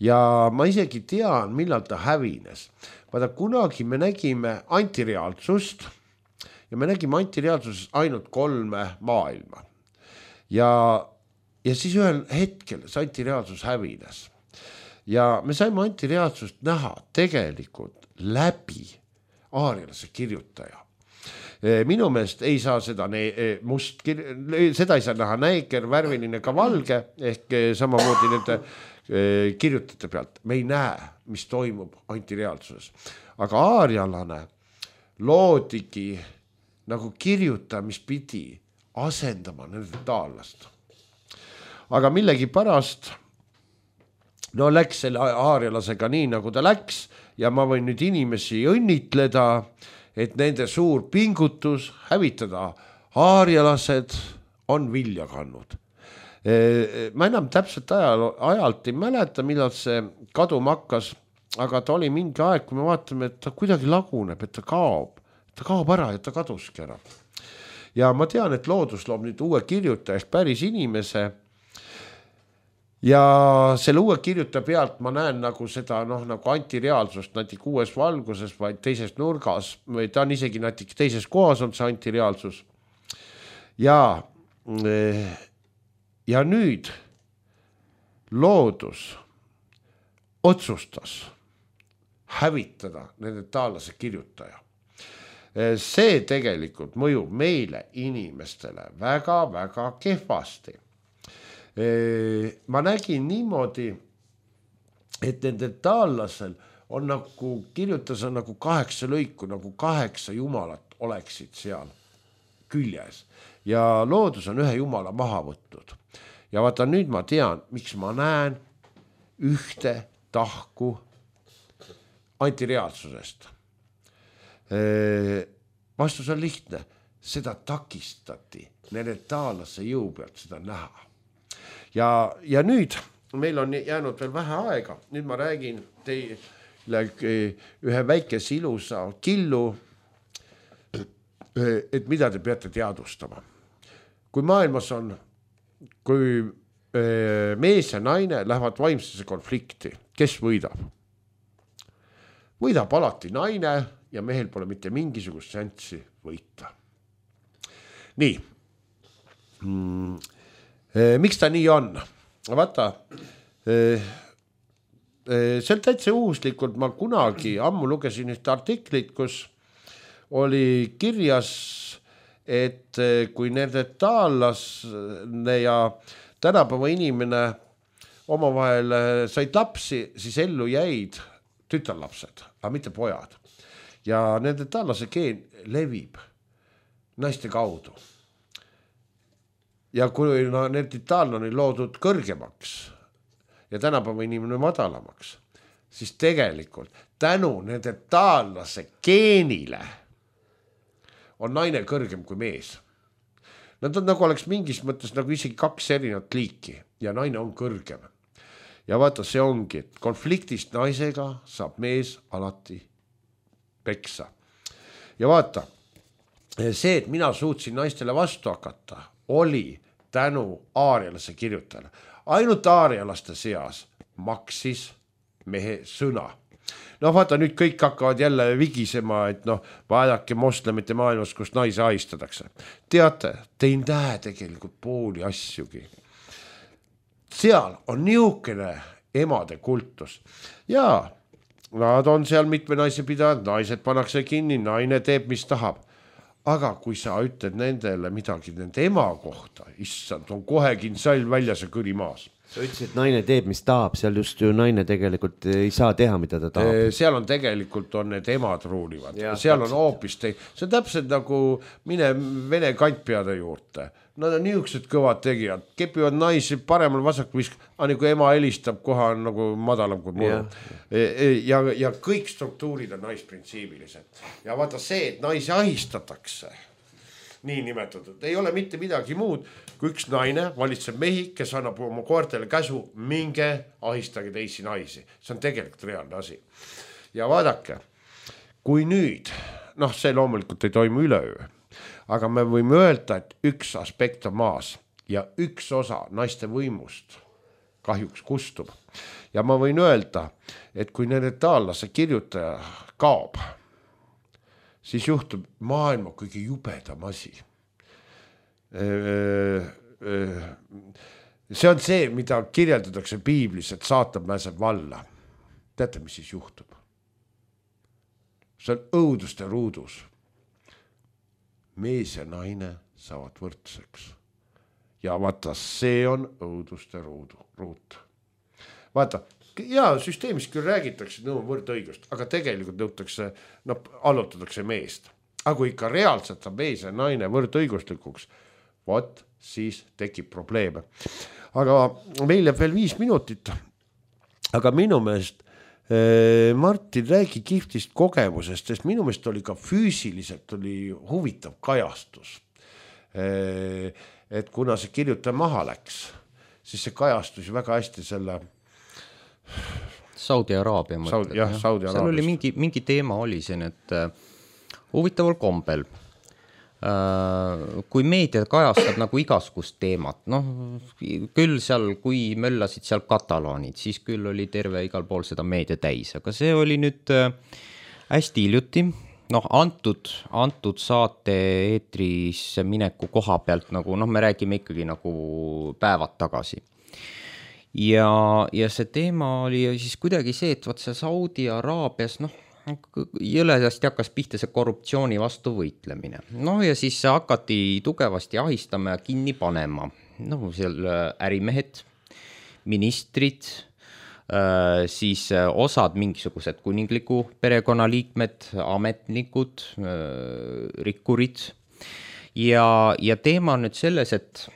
Speaker 3: Ja ma isegi tean, millal ta hävines. Vaata, kunagi me nägime antireaalsust ja me nägime antireaalsuses ainult 3 maailma. Ja ja siis ühel hetkel see antireaalsus hävines ja me saime antireaalsust näha tegelikult läbi aarialase kirjutaja. Minu meelest ei saa seda seda ei saa näha näiker, värviline ka valge ehk samamoodi nende kirjutajate pealt. Me ei näe, mis toimub antireaalsuses, aga aarialane loodigi nagu kirjutaja, mis pidi asendama nende taallast. Aga millegipärast läks selle aarialasega nii, nagu ta läks ja ma võin nüüd inimesi õnnitleda, et nende suur pingutus hävitada aarialased on vilja kandnud. Ma enam täpselt ajalt ei mäleta, millal see kaduma hakkas, aga ta oli mingi aeg, kui me vaatame, et ta kuidagi laguneb, et ta kaob ära ja ta kaduski ära. Ja ma tean, et loodus loob nüüd uue kirjutaja ehk päris inimese ja selle uue kirjutaja pealt ma näen nagu seda nagu antireaalsust natuke uues valguses, vaid teises nurgas või ta on isegi natuke teises kohas on see antireaalsus. Ja nüüd loodus otsustas hävitada nende taallase kirjutaja. See tegelikult mõjub meile inimestele väga-väga kehvasti. Ma nägin niimoodi, et nende taallasel on nagu kirjutas on nagu 8 lõiku, nagu 8 jumalat oleksid seal küljes ja loodus on ühe jumala maha võtnud. Ja vaata nüüd ma tean, miks ma näen ühte tahku antireaalsusest. Vastus on lihtne, seda takistati nende taallase jõu pealt seda näha. Ja nüüd meil on jäänud veel vähe aega, nüüd ma räägin teile ühe väikese ilusa killu, et mida te peate teadvustama. Kui maailmas on, kui mees ja naine lähevad vaimsesse konflikti, kes võidab? Võidab alati naine ja mehel pole mitte mingisugust šanssi võita. Nii. Miks ta nii on? Vaata, see on täitsa uuslikult, ma kunagi ammu lugesin ühte artiklit, kus oli kirjas, et kui nende taallasne ja tänapäeva inimene omavahel said lapsi, siis ellu jäid tütarlapsed, aga mitte pojad. Ja nende taallase geen levib naiste kaudu. Ja kui nende taallane loodud kõrgemaks ja tänapäeva inimene madalamaks, siis tegelikult tänu nende taallase geenile on naine kõrgem kui mees. Nad on nagu oleks mingis mõttes nagu isegi 2 erinevat liiki ja naine on kõrgem. Ja vaata, see ongi, et konfliktist naisega saab mees alati peksa. Ja vaata, see, et mina suutsin naistele vastu hakata, oli tänu aarialase kirjutajale. Ainult aarialaste seas maksis mehe sõna. Vaata, nüüd kõik hakkavad jälle vigisema, et vaadake moslemite maailmas, kus naise ahistatakse. Teate, te ei näe tegelikult pooli asjugi. Seal on niisugune emade kultus. Ja nad on seal mitme naise pidanud, naised pannakse kinni, naine teeb, mis tahab. Aga kui sa ütled nendele midagi nende ema kohta, issand, on kohe kinsall väljas ja kõri maas.
Speaker 1: Sa ütlesid, et naine teeb, mis tahab, seal just ju naine tegelikult ei saa teha, mida ta tahab.
Speaker 3: Seal on tegelikult on need emad ruulivad. Seal on hoopis see on täpselt nagu mine vene kantpeade juurde. Nad on niisugused kõvad tegijad, kepivad naisi paremal vasakul visk, aga kui ema helistab, koha on nagu madalam kui muu. Ja kõik struktuurid on naisprintsiibilised. Ja vaata see, et naisi ahistatakse, nii nimetatud, ei ole mitte midagi muud, kui üks naine valitseb mehi, kes annab oma koertele käsu, minge ahistage teisi naisi. See on tegelikult reaalne asi. Ja vaadake, kui nüüd, see loomulikult ei toimu üleöö, aga me võime öelda, et üks aspekt on maas ja üks osa naiste võimust kahjuks kustub. Ja ma võin öelda, et kui nende taallase kirjutaja kaob, siis juhtub maailma kõige jubedam asi. see on see, mida kirjeldatakse piiblis, et saatan pääseb valla. Teate, mis siis juhtub? See on õuduste ruudus. Mees ja naine saavad võrdseks. Ja vaata, see on õuduste ruut. Vaata, ja süsteemis küll räägitakse, et nõu võrdõigust, aga tegelikult nõutakse, allutatakse meest. Aga kui ikka reaalselt saab mees ja naine võrdõiguslikuks, vot siis tekib probleeme. Aga meil jääb veel 5 minutit. Aga minu meelest Martin räägi kihvtist kogemusest, sest minu meelest oli ka füüsiliselt oli huvitav kajastus. Et kuna see kirjutaja maha läks, siis see kajastus väga hästi selle
Speaker 2: Saudi Araabia mõtled.
Speaker 3: Jah, Saudi
Speaker 2: Seal oli mingi teema oli siin, et huvitaval kombel. Kui meedia kajastab nagu igasugust teemat, küll seal, kui möllasid seal katalaanid, siis küll oli terve igal pool seda meedia täis, aga see oli nüüd hästi hiljuti, antud saate eetrisse mineku koha pealt, nagu me räägime ikkagi nagu päevad tagasi. Ja see teema oli siis kuidagi see, et võt see Saudi Araabias, jõledasti hakkas pihta see korruptsiooni vastu võitlemine. Ja siis hakati tugevasti ahistama ja kinni panema. Seal ärimehed, ministrid, siis osad mingisugused kuningliku perekonnaliikmed, ametnikud, rikkurid. Ja teema on nüüd selles, et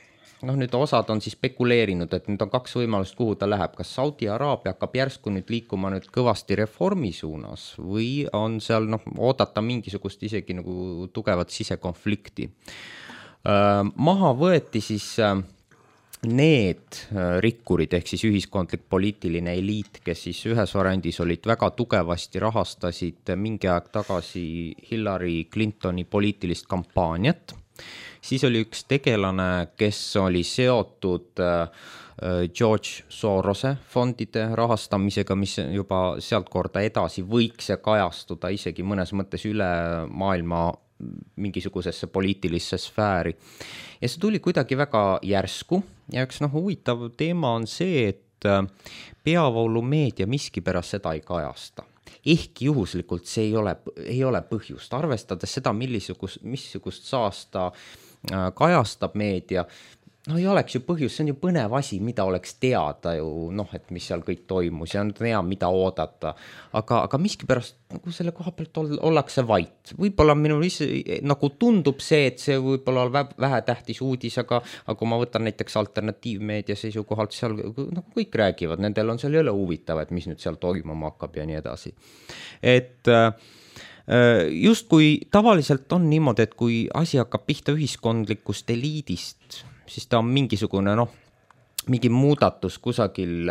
Speaker 2: nüüd osad on siis spekuleerinud, et nüüd on 2 võimalust, kuhu ta läheb. Kas Saudi Araabia hakkab järsku nüüd liikuma nüüd kõvasti reformi suunas või on seal oodata mingisugust isegi nagu tugevat sisekonflikti. Maha võeti siis need rikkurid ehk siis ühiskondlik poliitiline eliit, kes siis ühes variandis olid väga tugevasti rahastasid mingi aeg tagasi Hillary Clintoni poliitilist kampaaniat. Siis oli üks tegelane, kes oli seotud George Sorose fondide rahastamisega, mis juba sealt korda edasi võiks see kajastuda isegi mõnes mõttes üle maailma mingisugusesse poliitilisse sfääri. Ja see tuli kuidagi väga järsku ja üks huvitav teema on see, et peavoolumeedia miskipärast seda ei kajasta. Ehkki juhuslikult see ei ole põhjust, arvestades seda, missugust saasta kajastab meedia, ei oleks ju põhjus, see on ju põnev asi, mida oleks teada ju, et mis seal kõik toimus ja on hea, mida oodata, aga miskipärast selle koha pealt ollakse vait. Võib-olla minul nagu tundub see, et see võib-olla on vähe tähtis uudis, aga kui ma võtan näiteks alternatiivmeedia seisukohalt, seal kõik räägivad, nendel on seal jõle huvitav, et mis nüüd seal toimuma hakkab ja nii edasi. Et just kui tavaliselt on niimoodi, et kui asi hakkab pihta ühiskondlikust eliidist, siis ta on mingisugune, mingi muudatus kusagil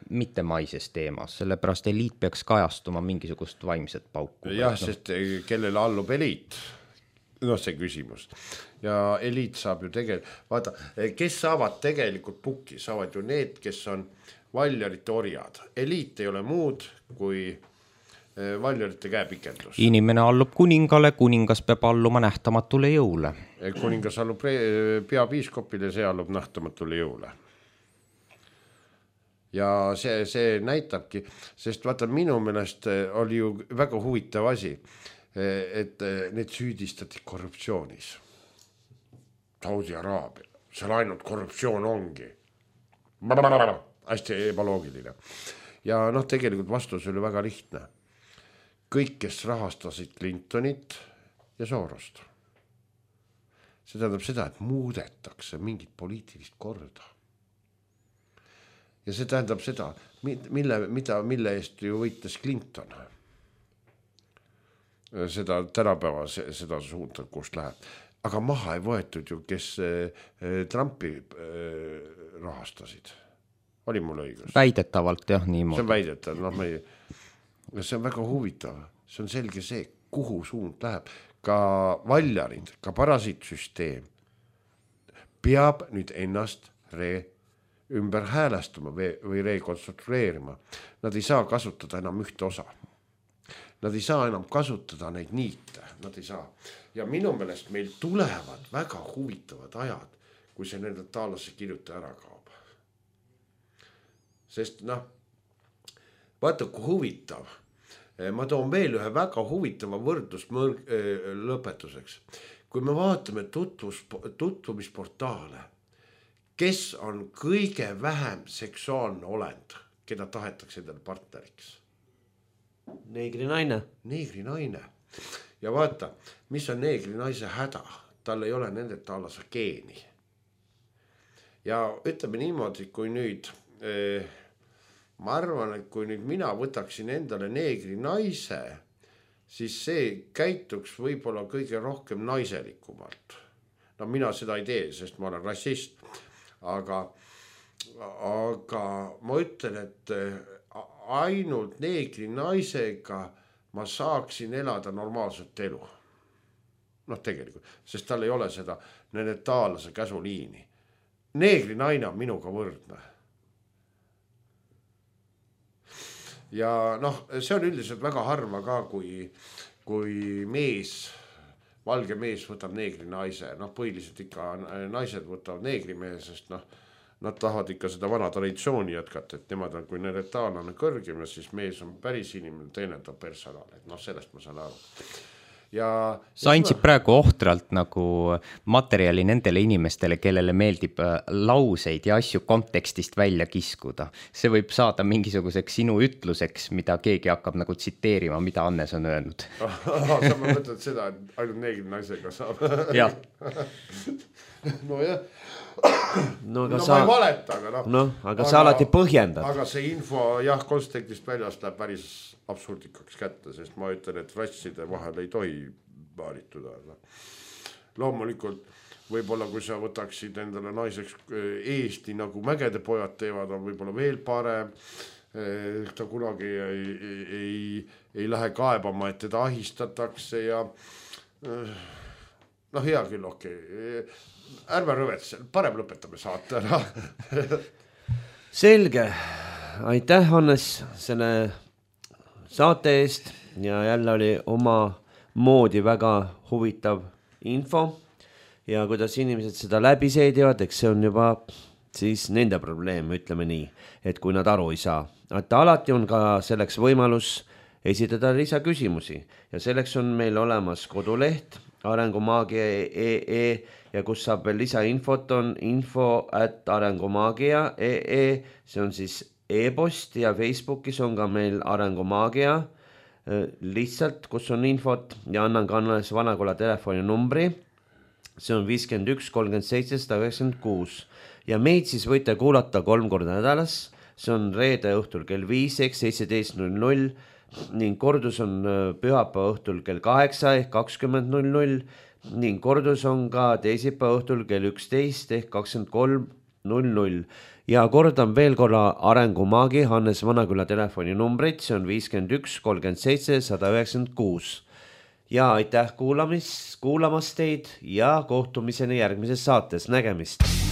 Speaker 2: mittemaises teemas, sellepärast eliit peaks kajastuma mingisugust vaimset pauku.
Speaker 3: Jah, sest kellele allub eliit? See küsimus. Ja eliit saab ju vaata, kes saavad tegelikult pukki, saavad ju need, kes on valjarite orjad. Eliit ei ole muud kui valjarite käepikendus.
Speaker 2: Inimene allub kuningale, kuningas peab alluma nähtamatule jõule.
Speaker 3: Kuningas allub peapiiskopile, see allub nähtamatule jõule. Ja see näitabki, sest vaata minu meelest oli ju väga huvitav asi, et need süüdistati korruptsioonis. Saudi Araabia, seal ainult korruptsioon ongi. Hästi ebaloogiline. Ja tegelikult vastus oli väga lihtne. Kõik, kes rahastasid Clintonit ja Sorost. See tähendab seda, et muudetakse mingit poliitilist korda. Ja see tähendab seda, mille eest ju võites Clinton. Seda tänapäeva, seda suunda, kust läheb. Aga maha ei võetud ju, kes Trumpi rahastasid. Oli mul õigus?
Speaker 2: Väidetavalt, jah, niimoodi.
Speaker 3: See on väidetav, see on väga huvitav, see on selge see, kuhu suund läheb. Ka valjarid, ka parasiitsüsteem peab nüüd ennast ümber häälestama või rekonstrueerima. Nad ei saa kasutada enam ühte osa. Nad ei saa enam kasutada neid niite, nad ei saa. Ja minu meelest meil tulevad väga huvitavad ajad, kui see nende taalasse kirjuta ära kaob. sest noh, vaata kui huvitav. Ma toon veel ühe väga huvitava võrdlus lõpetuseks. Kui me vaatame tutvumisportaale, kes on kõige vähem seksuaalne olend, keda tahetakse endale partneriks?
Speaker 1: Neegri naine.
Speaker 3: Neegri naine. Ja vaata, mis on neegri naise häda? Tal ei ole nende taalase geeni. Ja ütleme niimoodi, kui nüüd... ma arvan, et kui nüüd mina võtaksin endale neegri naise, siis see käituks võib-olla kõige rohkem naiselikumalt. No mina seda ei tee, sest ma olen rassist. Aga ma ütlen, et ainult neegri naisega ma saaksin elada normaalset elu. Noh, tegelikult, sest tal ei ole seda nende taalase käsuliini. Neegri naine on minuga võrdne. Ja noh, see on üldiselt väga harva ka, kui mees, valge mees võtab neegri naise. Noh, põhiliselt ikka naised võtavad neegri mehe, sest noh, nad tahavad ikka seda vana traditsiooni jätkata, et nemad on, kui neretaalane kõrgem, siis mees on päris inimene, teenendav personal. Et noh, sellest ma saan aru.
Speaker 2: Sa andsid praegu ohtralt nagu materjali nendele inimestele, kellele meeldib lauseid ja asju kontekstist välja kiskuda. See võib saada mingisuguseks sinu ütluseks, mida keegi hakkab nagu tsiteerima, mida Annes on öelnud.
Speaker 3: Sa mõtled seda, et ainult neegri naisega saab.
Speaker 2: Jah.
Speaker 3: No jah.
Speaker 1: No,
Speaker 3: ma ei valeta,
Speaker 1: aga sa alati põhjendad.
Speaker 3: Aga see info kontekstist väljast läheb päris absurdikaks kätte, sest ma ütlen, et rasside vahel ei tohi baarituda. Loomulikult võib-olla kui sa võtaksid endale naiseks Eesti nagu mägede pojad teevad, on võib-olla veel parem. Ta kunagi ei lähe kaebama, et teda ahistatakse ja noh, hea küll, okei. Ärme rõvetse, parem lõpetame saate ära.
Speaker 1: Selge, aitäh Hannes selle saate eest ja jälle oli oma moodi väga huvitav info ja kuidas inimesed seda läbi seedivad, eks see on juba siis nende probleem, ütleme nii, et kui nad aru ei saa. Et alati on ka selleks võimalus esitada lisaküsimusi ja selleks on meil olemas koduleht arengumaagia.ee ja kus saab veel lisainfot on info@arengumaagia.ee, see on siis e-post ja Facebookis on ka meil Arengumaagia lihtsalt, kus on infot ja annan ka Annes Vanakula telefoninumbri, see on 51 37 196 ja meid siis võite kuulata 3 korda nädalas, see on reede õhtul kell 5 ehk 17.00 ning kordus on pühapäeva õhtul kell 8 ehk 20.00 ning kordus on ka teisipäeva õhtul kell 11 ehk 23.00 ja kordan veel korra Arengumaagi Hannes Vanaküla telefoninumbrit, see on 51 37 196 ja aitäh kuulamast teid ja kohtumiseni järgmises saates, nägemist!